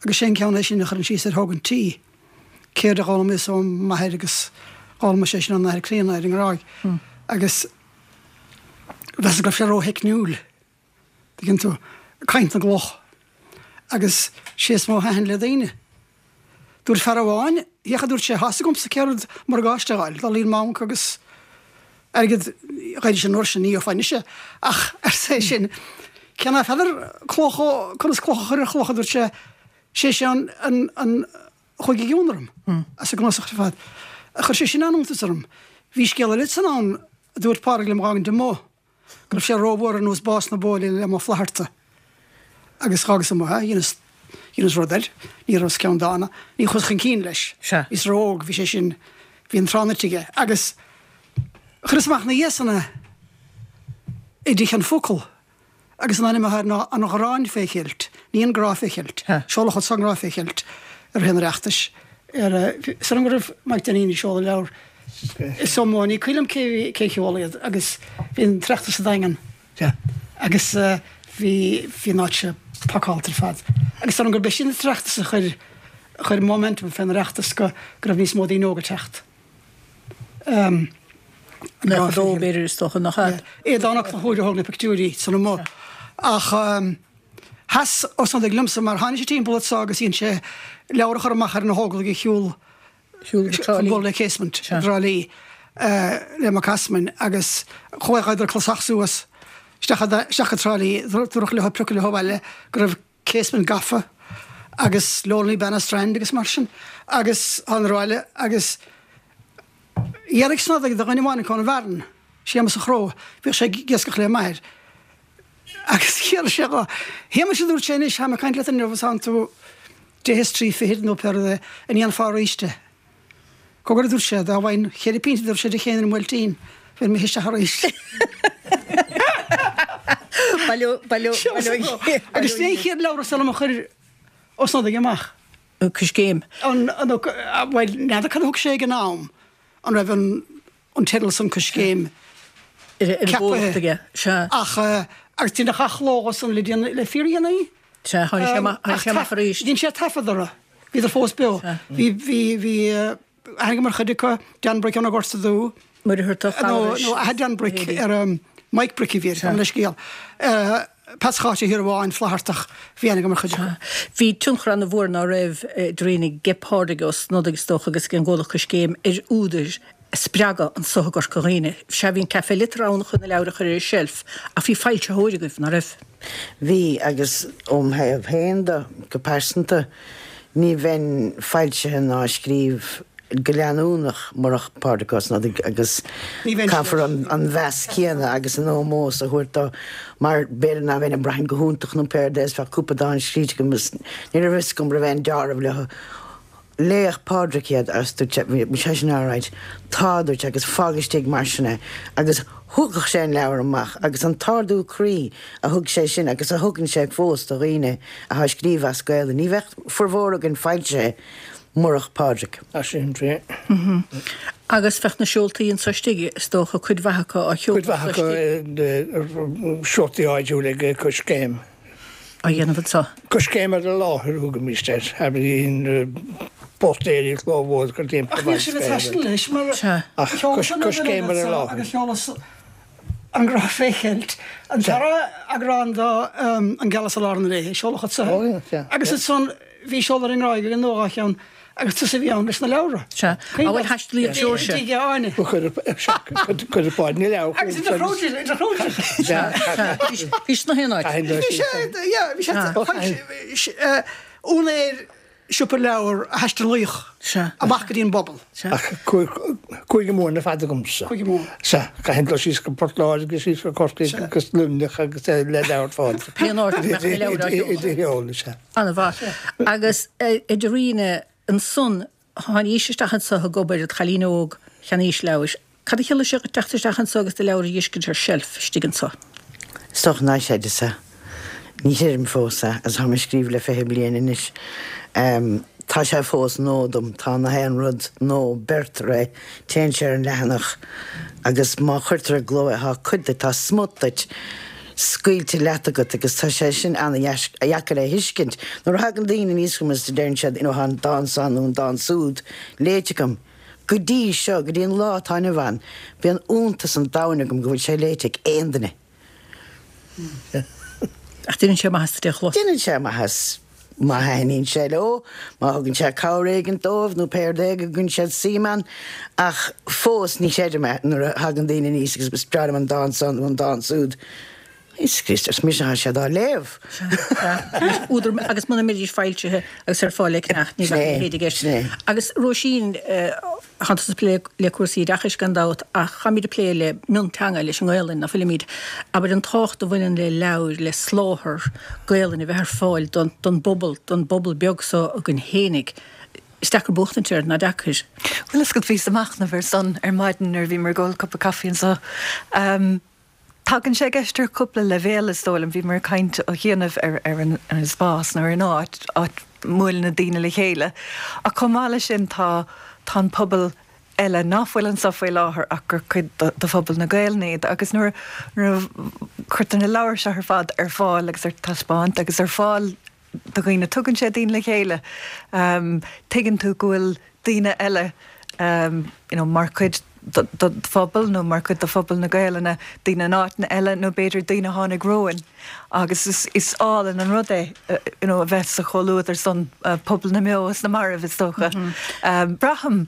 Agus sé an ceann é sin a chuireann síos ar thógaint tí, céard a d'fhoghlaimíos ó m'athair agus d'fhoghlaim sé sin ón athair críonna ar an nGráig. Agus mheasas go raibh sé rótheicniúil. Tuigeann tú, caint na gcloch. Agus sé is mó a thaitin le daoine. Dúirt fear amháin, féach a dúirt sé, tá's agamsa céard morgáiste a fháil, dul i mbanc agus airgead, ghairfidís an uair sin, ní gheofá anois é, ach arsa é sin, cé ná feadar cloch ó, conas cloch a chur ar chloch, a dúirt sé, sé sin an, an, an chuaigh i gcion orm, as an gcnuasach ar fad. Chuir sé sin an-iontas orm. Bhí scéal eile san ann, a dúirt Pádraig liom a dh'fhágaint amuigh. go raibh sé rómhór ar nós bás na bóile le Ó Flatharta agus dh'fhágas amuigh é, dheineas, dheineas rud air, ní rabhas ceanndána, ní chuas chun cinn leis. Sea. Bhíos ró-óg, bhí sé sin, bhí an tráth ite aige. Agus chuireas amach ina dhiaidh san é i dTeach an Focal agus an ainm atá air ná An Ghráin fé Cheilt, ní An Grá fé Cheilt. Seoladh ansan An Grá fé Cheilt i rith an Oireachtais ar, is dóigh liom go raibh Mike Dinneen ag seoladh leabhar Is iomaí, ní cuimhin liom cé bhí, cé sheol iad agus bhí an tOireachtas sa Daingean agus bhí, bhí an áit seo pacáilte ar fad. Agus dóigh liom gurb é sin an tOireachtas a chuir, a chuir momentum fén Oireachtas go, go raibh níos mó daoine óga ag teacht. Um, Nach dó b'fhéidir is dócha nach ea. Aodán Ó Conchúir a thóg na pictiúirí san amuigh. Ach um, sheas Ó Snodaigh liomsa mar tháinig sé timpeall anso agus dhein sé leabhar a chur amach ar na hÓglaigh a shiúl Shiúil go Trá Lí. Chun bualadh le Casement i dTrá Lí le Mac Easmainn agus chuadar clasach suas isteach isteach go Trá Lí, dúradh leo priocadh leo abhaile go raibh Casement gafa agus Lonely Banna Strand agus mar sin agus thánadar abhaile agus dhearbhaigh Snodaigh do dhuine amháin acu ón bhFearann, Séamus an Chró, bhíodh sé ag iascach le m'athair agus dhearbhaigh sé dho, Shéamais a dúirt sé anois, táim ag caint leat inniu is tánn tú deich is trí fichid nó pé rud é, an ndéanfá arís é? Cogar a dúirt sé, dá bhfaighinn cheithre pínte a dúirt sé Dé Céadaoin i mBuailtín, bheinn imithe isteach arís. Agus sin é an chéad leabhar is dóigh liom a chuir Ó Snodaigh amach. Coiscéim. An, bhuel, n'fheadar cad a thug sé ag an am, an raibh an, an teideal san Coiscéim ceapaithe ach agus deineadh athchló dhó san le déanaí, le fíordhéanaí. Sea, tháinig sé amach, tháinig sé amach arís. Dhein sé taifead orthu, bhíodar fós beo. Bhí, bhí, bhí aithne agam ar chuid acu, Dan Brick ón Ghorta Dubh. Muircheartach, Nó, nó athair Dan Brick ar Mike Brick a bhí air, gabh mo leithscéal. Peats Cháit Uí Shiorbháin, Flaitheartach, bhí aithne agam ar chuid acu. Bhí tionchar an-mhór ná raibh, Doreen, ag Pádraig Ó Snodaigh is dócha agus ag an gcomhlacht Coiscéim ar údair a spreagadh anso i gCorca Dhuibhne. Sea, bhí an Café Liteartha ann chun na leabhair a chur ar an tseilf, ach bhí foilsitheoir agaibh, ná raibh? Bhí, agus óm thaobh féin de, go pearsanta, ní bheinn foilsithe ná ag scríobh go leanúnach murach Pádraic Ó Snodaigh agus caithfear an mheas céanna agus an ómós a thabhairt dó mar b'fhéidir nach mbeinn ag brath go hiontach nó pé rud é is bheadh cúpla dán scríte agam is ní raibh fhios agam raibh aon dealramh leo. Léigh Pádraic iad agus dúirt sé, bhí sé sin alright, tá, dúirt sé, agus fág istigh mar sin é. Agus thógadh sé an leabhar amach agus an t-ardú croí a thug sé sin agus a thugann sé fós do dhaoine atá ag scríobh as Gaelainn. Ní bheadh formhór againn foilsithe murach Pádraic. Tá sin fíor. Agus bheadh na seoltaí anso istigh, is dócha, cuid mhaith acu á sheoladh Cuid mhaith acu seoltaí áitiúla ag Coiscéim. á dhéanamh anso. Coiscéim ar an láthair a thugaimist air, abraíonn póstaeirí clóbhuail gur timpeall Ach níl sibh ag taisteal anois mar Ach coiscéim ar an láthair. Agus sheolas An Grá Fé Cheilt, an dara eagrán de An Gealas i Lár na Léithe, seoladh anso. Agus ansan bhí seoladh ar an nGráig againn nó dhá cheann Agus tusa a bhí ann leis na leabhra. Sea. Á bhuel thaistil Seoirse. Tigh Áine. Cuir Páid na leabhar. Agus idir chróidí, idir chróidí. Sea, sea. Bhí sé sna haon áit. Bhí sé, yeah, bhí sé, úinéir siopa leabhar a thaistealaíodh amach go dtí an bpobal. Sea. Ach Cúige Mumhan ar fad agamsa. Cúige Mumhan. Sea, caithfidh dul síos go Port Láirge, síos go Corcaigh agus Luimneach agus le leabhar Phádraig. Pé áit a mbeadh na leabhair á sheoladh. Idir sheoladh, sea. An-mhaith. Agus idir Aoine ansan, tháinís isteach anso ag obair, an chailín óg, cheannaís leabhair. Cad a chiallaigh sé dhuit teacht isteach anso agus do leabhar a dh'fheiscint ar seilf istigh anso? Is dócha nár chreideas é. Ní chreidim fós é, agus táim ag scríobh le fiche bliain anois. Tá sé fós nua dom, tá na haon rud nua, beirtear é, téann sé ar an leathanach agus má chuirtear i gcló é, tá cuid de, tá smut duit. scaoilte leat agat agus tá sé sin an-dheacair a thuiscint. Nuair a thagann daoine aníos chugam is deireann siad you know tá an dán seo nó an dán súd léite agam. Go dtí seo, go dtí an lá atá inniu ann, bíonn iontas an domhain agam go bhfuil sé léite ag aon duine. Ach déanann sé maitheas duit é a chlos. Déanann sé maitheas. Má thaitníonn sé leo, má thugann sé cabhair éigin dóibh nó pé rud é go gcuireann siad suim ann. Ach fós ní chreidim é nuair a thagann daoine aníos agus is breá liom an dán seo nó an dán súd. Is Críost is mise atá siad á léamh. Sea. Údar, agus muna mbeidís foilsithe agus ar fáil le ceannach ní bheadh a leithéid i gceist. Agus Róisín, Tánn tusa ag plé le cúrsaí oideachais gan dabht ach táimid ag plé le mionteanga, leis an nGaelainn, ná fuilimid? Abair an tábhacht a bhaineann le leabhair, le soláthar Gaelainne a bheith ar fáil don don bpobal, don bpobal beag so againn fhéinig. Is deacair buachtaint air, ná deacair? Bhuel, is go bhíos ag machnamh air san ar maidin nuair a bhíomar ag ól cupa caife anseo. Tagann sé i gceist ar chúpla leibhéal, is dóigh liom. Bhíomar ag caint ó chianaibh ar ar an spás nó ar an áit, áit a mbuaileann na daoine le chéile. Ach chomh maith leis sin tá tá an pobal eile ná fuil anseo faoi láthair ach gur cuid de phobal na Gaelainne iad. Agus nuair nuair a chuirtear na leabhair seo ar fad ar fáil agus ar taispeáint agus ar fáil do dhaoine, tugann sé daoine le chéile. Tuigeann tú go bhfuil daoine eile you know mar chuid de do phobal nó mar chuid de phobal na Gaelainne, daoine in áiteanna eile nó b'fhéidir daoine a tháinig romhainn agus is is álainn an rud é you know a bheith sa chomhluadar san, pobal na mbeo is na marbh is dócha. Braithim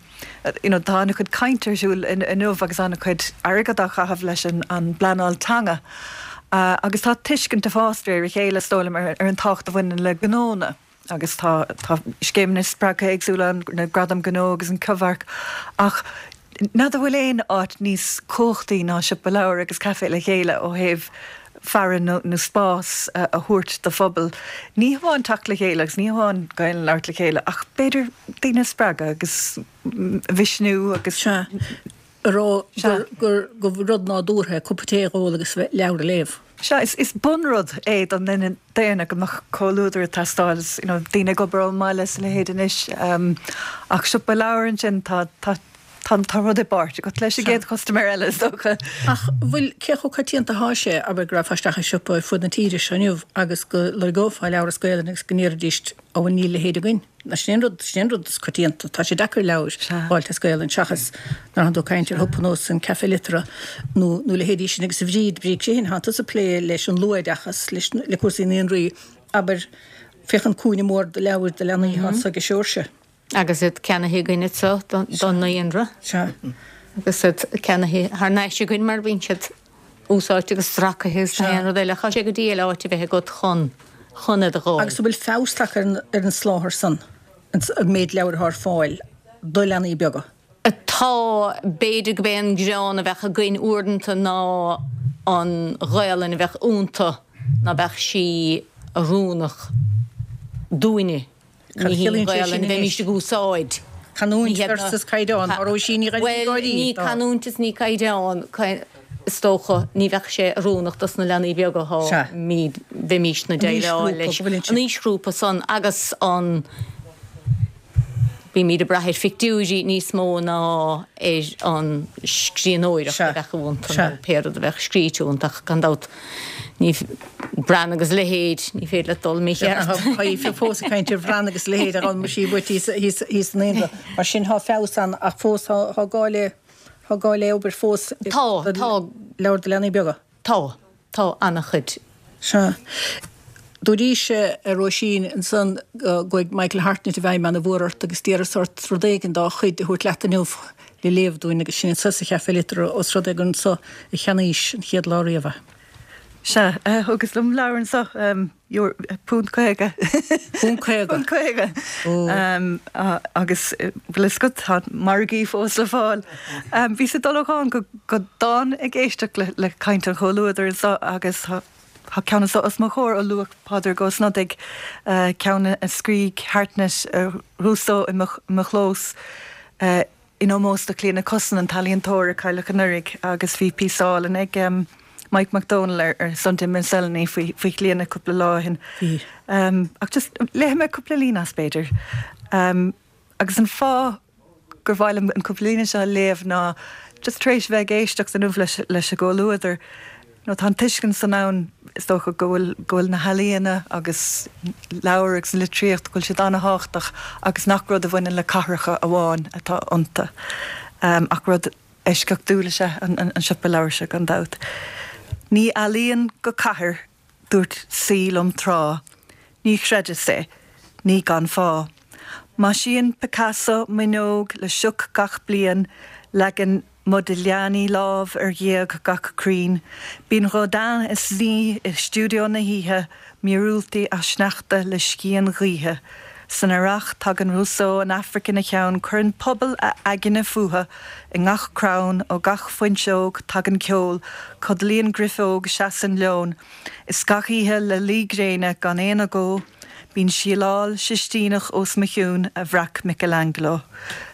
you know tá an-chuid cainte ar siúl inniu agus an-chuid airgead á chaitheamh leis an an bpleanáil teanga agus tá tuiscint ag fás de réir a chéile is dóigh liom ar an tábhacht a bhaineann le gnónna. Agus tá tá scéimeanna spreagtha éagsúla ann, na Gradaim Ghnó agus an Cibhearc, ach n'fheadar bhfuil aon áit níos cumhachtaí ná siopa leabhar agus caife le chéile ó thaobh fearann nó spás a thabhairt do phobal, ní hamháin teacht le chéile agus ní hamháin Gaelainn a labhairt le chéile ach b'fhéidir daoine a spreagadh agus a mhisniú agus. Sea. A rá gur gur rud nádúrtha é cupa tae a ól agus leabhar a léamh. Sea, is bunrud é don duine daonna go mbeadh comhluadar ag teastáil, is you know daoine ag obair ón mbaile is a leithéid anois. Ach siopa leabhar ansin, tá tá tá tá rud i bpáirt agat leis an gcéad chustaiméir eile is dócha. Ach bhfuil, cé chomh coitianta atá sé, abair go rachfá isteach i siopa ar fud na tíre seo inniu agus go lorgófá leabhar as Gaelainn agus go ndéarfaidís, Ó bhuel níl a leithéid againn. Sin é an rud, sin é an rud is coitianta. Tá sé deacair leabhair a fháilt as Gaelainn seachas nuair atánn tú ag caint ar shiopa nós an Café Liteartha nó nó leithéidí sin agus a Bhríd, Bríd Sheehan, tánn tusa ag plé leis an luathoideachas, leis le cúrsaí naíonraí, abair, féach an cúinne mór de leabhair do leanaí atá anso ag Seoirse. Agus iad ceannaithe againn anso don naíonra. Sea. Agus iad ceannaithe thar n-ais againn mar bíonn siad úsáidte agus stracaithe agus gach aon rud eile. Tá sé go diail áit a bheith agat chun. chun iad a dh'fháil. Agus an bhfuil feabhas tagtha ar an soláthar san, an méid leabhar atá ar fáil do leanaí beaga. Tá, b'fhéidir go b'é an greann a bheadh againn uaireanta ná an Ghaelainn a bheadh iontu, ná beadh sí oiriúnach dúinne. Cad Ní hí an chiallaíonn sé sin Ghaelainn a anois? bheimís ag úsáid. Canúint Ní hé versus caighdeán, a Róisín Ní Bhuel, ní canúint is ní caighdeán, is dócha, ní bheadh sé oiriúnach dos na leanaí beaga Sea. tháimid, bheimís na An déileáil aoisghrúpa leis. go bhfuil An aoisghrúpa san agus an bímid ag brath ar phictiúirí níos mó ná ar an scríbhneoireacht a bheadh iontu nó pé rud a bheadh scríte iontu ach gan dabht ní Bran agus leithéid, ní féidir leat dul mícheart. Tá fós ag caint ar Bhran agus leithéid ar an sí buit thíos san Naíonra. Mar sin tá feabhas ann ach fós tá gá le tá gá le obair fós Tá, tá. leabhar do leanaí beaga. Tá, tá an-chuid. Sea. Dúraís a Róisín ansan go gcuaigh Michael Hartnett i bhfeidhm ana-mhór ort agus d'iarras ort rud éigin dá chuid a thabhairt leat inniu le léamh dúinn agus sin anso sa Chaifé Liteartha os rud é gur anso a cheannaís an chéad lá riamh é. Sea, thugas liom leabhar anso, punt caoga. Punt caoga? Punt caoga. Agus bhfuil fhios agat, tá margaí fós le fáil. Bhíos ag dul ó dhán go dán ag éisteacht le caint an chomhluadair anso agus tá Tá ceann anso os mo chomhair ó luaigh Pádraig Ó Snodaigh, ceann a scrígh Hartnett Rousseau i mo chlós in ómós do Chlíodhna Cussen, an t-ealaíontóir a cailleadh anuraidh agus bhí píosa álainn ag Mike Mac Dónaill ar Sunday Miscellany faoi Chlíodhna cúpla lá ó shin. Ach just léifidh mé cúpla líne as b'fhéidir. Agus an fáth gur mhaith liom an cúpla líne seo a léamh ná just tar éis bheith ag éisteacht inniu leis leis an gcomhluadar, nó tá an tuiscint san ann is dócha go bhfuil go bhfuil na healaíona agus leabhair agus an litríocht, go bhfuil siad an-thábhachtach agus nach rud a bhaineann le cathracha amháin atá iontu ach rud eisceachtúil is ea an an siopa leabhar seo gan dabht. Ní ealaíon go cathair, dúirt saoi liom tráth. Ní chreideas é. Ní gan fáth. Maisíonn Picasso m'fhuinneog le sioc gach bliain, leagann Modigliani lámh ar ghéag gach crainn. Bíonn Rodin ina suí i stiúideo na hoíche, míorúiltí á sneachtadh le scian ghaoithe. San earrach tagann Rousseau an Afraic ina cheann, cuireann pobal a aigne fúthu i ngach crann, ó gach fuinseog tagann ceol, codlaíonn grifeog, seasann leon. Is gach oíche le luí gréine gan aon agó, bíonn síleáil Sistíneach os mo chionn a bhreac Michelangelo.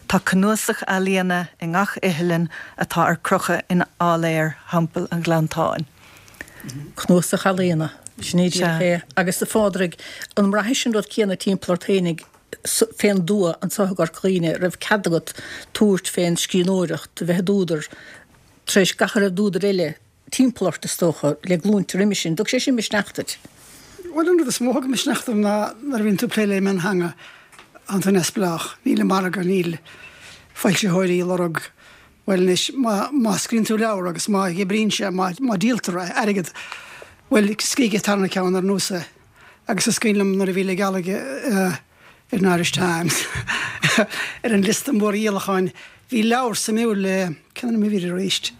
Tá cnuasach ealaíona i ngach iothlainn atá ar crochadh in áiléar Theampall an Ghleanntáin. Cnuasach ealaíona, sin é díreach é. Agus a Phádraig, an mbraithis an rud céanna timpeall ort fhéinig fén dtuath anso i gCorca Dhuibhne, raibh cead agat tabhairt fén scríbhneoireacht, a bheith i d'údar, tar éis gach a raibh d'údair eile timpeall ort, is dócha, le glúinte roimis sin. Dtug sé sin misneach duit? Bhuel, an rud is mó a thug misneach dom ná nuair a bhíonn tú ag plé le miontheanga, tánn tú neamhspleách, níl an margadh, níl foilsitheoirí ag lorg, bhuel anois, má, má scríobhann tú leabhar agus má oibríonn sé, má, má díoltar é, airgead, bhuel, scrígh an tarna ceann ar nós é. Agus is cuimhin liom nuair a bhí Le Gealaigh ar an Irish Times ar an liosta mórdhíolacháin, bhí leabhar suimiúil le, cén ainm a bhí air arís?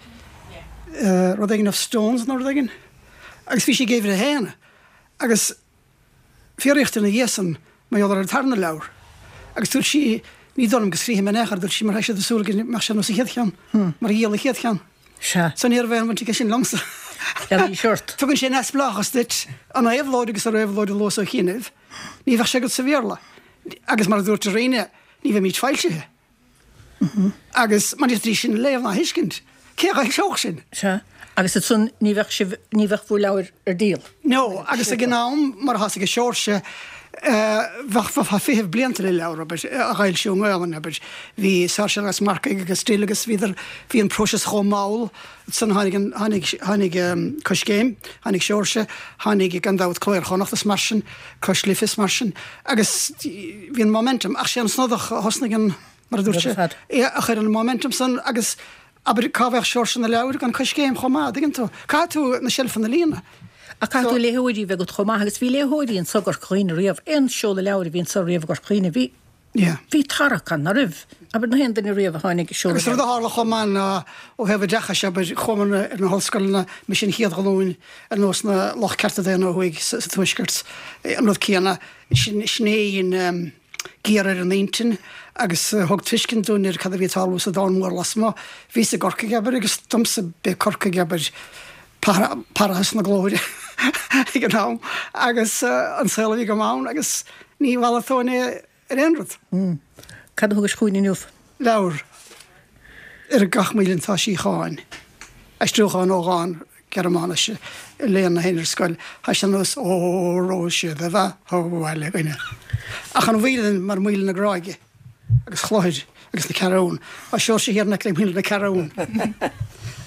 Rud éigin of Stones nó rud éigin. Agus bhí sé ag uimhir a haon. Agus fiafraíodh di ina dhiaidh san mar gheall ar an tarna leabhar. Agus dúirt sí, ní dóigh liom go scríobhfaidh mé in aon chor, dúirt sí, mar tá siad ag súil go mbeadh sé ar nós an chéad cheann, mar a dhíol an chéad cheann. Sea. So ní raibh aon bhaint aige sin liomsa. Leanaí ort. Tugann sé neamhspleáchas duit, an éabhlóid agus an réabhlóid a luas ó chianaibh, ní bheadh sé agat sa Bhéarla. Agus mar a dúirt Irene, ní bheimid foilsithe. Agus mar ní sin a léamh ná a thuiscint, cé a fhoilseodh sin? Sea, agus ansan ní bheadh sibh, ní bheadh bhur leabhair ar díol. No, agus ag an am, mar atá ag Seoirse, bheadh, bheifeá ag feitheamh blianta le leabhar, abair, a fhoilsiú i nGaolainn, abair. Bhí Sáirséal agus Marcaigh agus Still agus bhíodar, bhí an próiseas chomh mall, ansan tháinig an, tháinig, tháinig Coiscéim, tháinig Seoirse, tháinig gan dabht Cló Iar-Chonnacht is mar sin, Cois Life is mar sin, agus bhí an momentum, ach sé an Snodach a thosnaigh an, mar a dúirt sé, a chuir an momentum san agus abair cá bheadh Seoirse na leabhair gan Coiscéim chomh maith, dtuigeann tú? Caithfidh tú na seilfeanna a líonadh. Ach caithfidh tú léitheoirí a bheith agat chomh maith agus bhí léitheoirí anso i gCorca Dhuibhne riamh, aon seoladh leabhair a bhí anso riamh i gCorca Dhuibhne, bhí, bhí tarrac ann, ná raibh? Abair na haon duine riamh a tháinig ag seoladh Agus rud a leabhair. tharla chomh maith ná ó thaobh oideachais, abair, chuamar ar na hollscoileanna, mise an chéad ghlúin ar nós na lucht cearta daonna ó thuaidh sa Tuaisceart, an rud céanna, sin, sin é an, géar ar an intinn agus thug tuiscint dúinn ar cad a bhí ag tarlú sa domhan mór lasmuigh. Bhíos i gCorcaigh, abair, agus domsa b'é Corcaigh, abair, parthas na glóire ag an am agus an saol a bhí agam ann agus ní mhalartóinn é ar aon rud. Cad a thugais chugainn inniu? Leabhar. Ar gach maoilinn tá síocháin. Aistriúchán ó dhán Gearmáinise a léann na héinne ar scoil. Tá sé ar nós Óró sé do bheatha abhaile againne. Ach an mhaoilinn mar Mhaoil na Gráige agus Chlochair agus na Ceathrún. Tá Seoirse thiar in aice le Maoil na Ceathrún.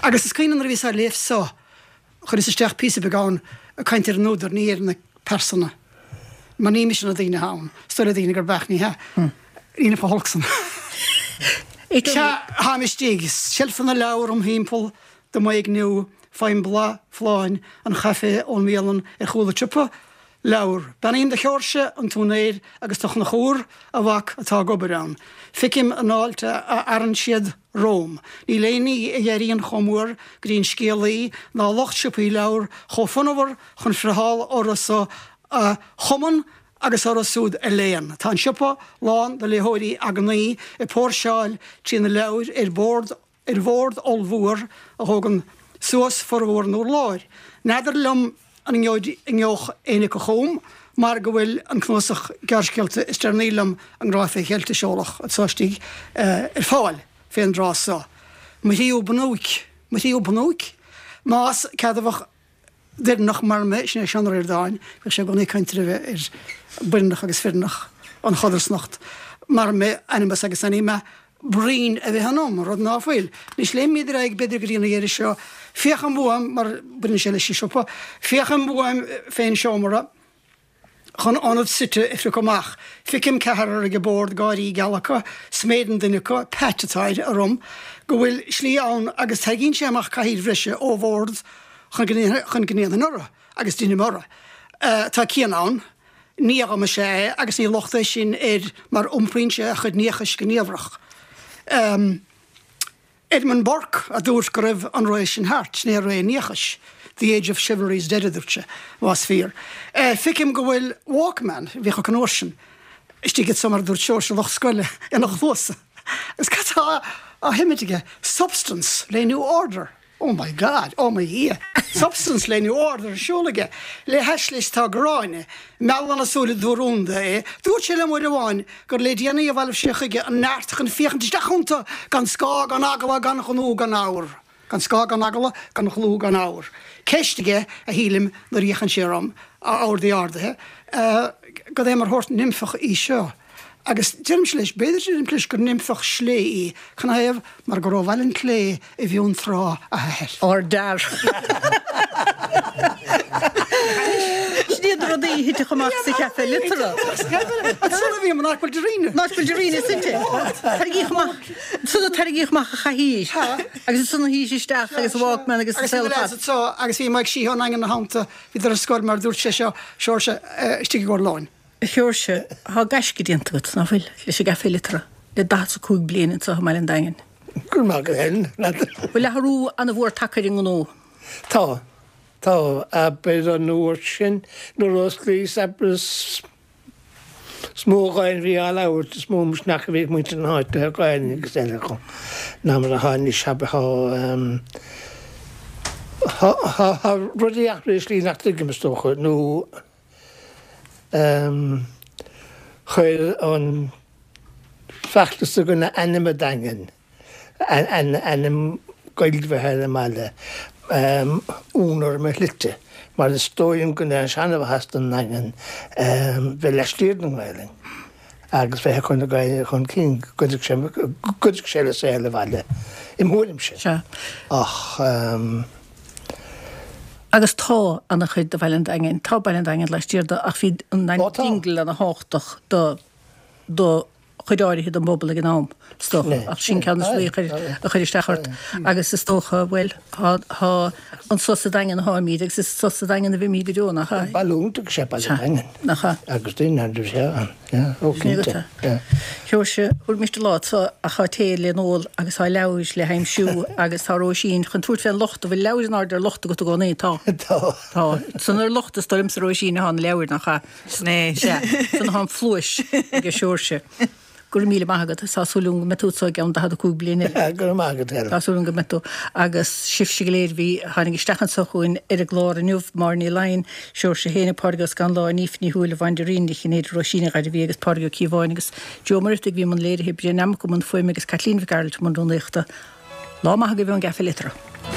Agus is cuimhin liom nuair a bhíos á léamh so, chuireas isteach píosa beag ann ag caint ar an údar, ní ar na pearsana. Mar ní mise na daoine atá ann. Is dóigh le daoine gurb ea, ní hea. Ní fá holc san. Sea, táim istigh. Seilfeanna leabhar im thimpeall do m'éigniú, faighim boladh folláin an chaife ón mbialann ar chúl an tsiopa leabhar. Beannaím do Sheoirse, an t-úinéir, agus do Chonchúr, a mhac, atá ag obair ann. Feicim an fháilte a fhearann siad romham. Níl aon ní a éiríonn chomh mór go dtí an scéalaí ná lucht siopaí leabhar chomh fonnmhar chun friotháil orthu so a chumann agus orthu siúd a léann. Tá an siopa lán de léitheoirí eagnaí ag póirseáil trí na leabhair ar bord ar bhord ollmhór a thógann suas formhór an urláir. N'fheadar liom an ngeobhaidh éinne acu chugam mar go bhfuil an cnuasach gearrscéalta is deireanaí liom, An Grá fé Cheilt a seoladh anso istigh, ar fáil fén dtráth so. Mo thríú bunúic. Mo thríú bunúic? Más ceadmhach d'Éireannach mar mé, sin é Seán Ó Ríordáin, bhíodh sé i gcónaí ag caint roimhe ar baineannach agus fireannach, an chodarsnacht, mar mé, animus agus anima, bruíon a bheith ionam, rud ná fuil. Anois léimimid ar aghaidh b'fhéidir go dtí an dheireadh seo. Féachaim uaim, mar baineann sé leis an siopa, féachaim uaim fén seomra chun ionad suite a phriocadh amach. Feicim ceathrar ag an bord, gáirí geala acu, sméideann duine acu, Pat atá air, orm go bhfuil slí ann agus tarraingíonn sé amach cathaoir bhreise ó bhord chun go ndéanfainn orthu, agus deinim orthu. Tá Cian ann. Nia dhom is ea é agus ní locht é sin air mar iompraíonn sé a chuid niachais go niamhrach. Edmund Burke a dúirt go raibh an ré sin thart, sin é ré an niachais, the age of chivalry is dead a dúirt sé, más fíor. Feicim go bhfuil Walkman, a bhíodh acu an uair sin, istigh anso mar a dúirt Seoirse lucht scoile, ina chluasa. Agus cad tá á sheimint aige? Substance le New Order. Oh my God! Oh mo Dhia! Substance le New Order ar siúl aige. Le hais leis tá Gráinne. Meallann a súile dúrúnda é. Dúirt sé liom uair amháin gur le déanaí a bhailigh sé chuige an neart chun féachaint isteach iontu gan scáth gan eagla gan ghnú gan fhabhar. Gan scáth gan eagla gan ghnú gan fhabhar. Ceist aige, a shílim, nuair a fhéachann sé orm, a ordaí ardaithe, cad é mar shórt nimfeach í seo? Agus deirimse leis, b'fhéidir, deirimse leis gur nimfeach slé í, canathaobh, mar gur ó Bhaile an tSlé i bhFionntrá a hathair. Ár dtear. Sin iad na rudaí a thitfeadh amach sa Chaifé Liteartha. Ansan a bhí an áit bhfuil Darina. An áit bhfuil Darina suite. Tarraingíodh amach, ansan a tarraingíodh amach an chathaoir. Agus ansan a shuíodh sé isteach agus Walkman agus an saol ar fad. Agus anso, agus bhí Mike Sheehy ón nDaingean ina theannta, bhíodar ar scoil mar a dúirt sé seo, Seoirse, istigh i gcomhair lóin. A Sheoirse, thá gaisce déanta agat, ná fuil, leis an gCaifé Liteartha, le daichead 's a cúig bliain anseo i mBaile an Daingin. Go raibh maith agat Helen. Bhfuil athrú ana-mhór tagtha ar an ngnó? Tá. Tá. Abair an uair sin nuair a osclaíos, abair is mó Gaeilge a bhí á labhairt, is mó misneach a bhí ag muintir na háite le Gaeilge agus eile acu ná mar atá anois. Abair tá, tá rudaí athraithe i slí nach dtuigim is dócha, nó. Chuir an feachtas i gcoinne ainm an Daingin, ainm Gaeilge a bheith ar an mbaile, ionadh orm ar shlite, mar is dóigh liom go ndéanann seanmhaitheas don nDaingean bheith laistiar den nGaelainn agus bheith ag cur na Gaeilge chun cinn, go gcuideodh sé le saol an bhaile, im thuairimse. Ach. Agus tá ana-chuid de Bhaile an Daingin, tá Baile an Daingin laistiar de ach bhí an Dingle ana-thábhachtach do do chuid áirithe den bpobal ag an am, is dócha, ach sin ceann de na rudaí a chuir isteach ort. Agus is dócha, bhuel, tá tá anso sa Daingean atáimid agus is anso sa Daingean a bheimid go deo, nach ea? Baile iontach is ea Baile an Daingin. Nach ea? Agus daoine an-mhaith ann. Yeah, ó cinnte. Yeah. Sheoirse, thabharfaimis do lá so ach tá tae le n-ól agus tá leabhair le haimsiú agus tá Róisín chun tabhairt fén locht, an bhfuil leabhair in airde ar locht agat i gcónaí? Tá. Tá. Tá. San ar locht is dóigh liomsa Róisín atá na leabhair nach ea? Sin é. Sea. San atá an phluais ag Seoirse. Go raibh míle maith agat. Tá súil agam go mbeidh tú anso i gceann daichead a cúig bliain eile. Go raibh maith agat, Helen. Tá súil agam go mbeidh tú. Agus sibhse go léir a bhí, a tháinig isteach anso chugainn ar an gclár inniu, Máire Ní Laighin, Seoirse Héin, Pádraig Ó Scanláin, Aoife Ní Shúilleabháin, Doreen Ní Chinnéide, Róisín Ní Ghairbhí agus Pádraig Ó Cíobháin agus Joe Ó Muircheartaigh a bhí i mbun léirithe, Brian Nammock i mbun fuaime agus Caitlín Mhic Gearailt i mbun rúnaíochta. Lá maith agaibh ón gCaifé Liteartha.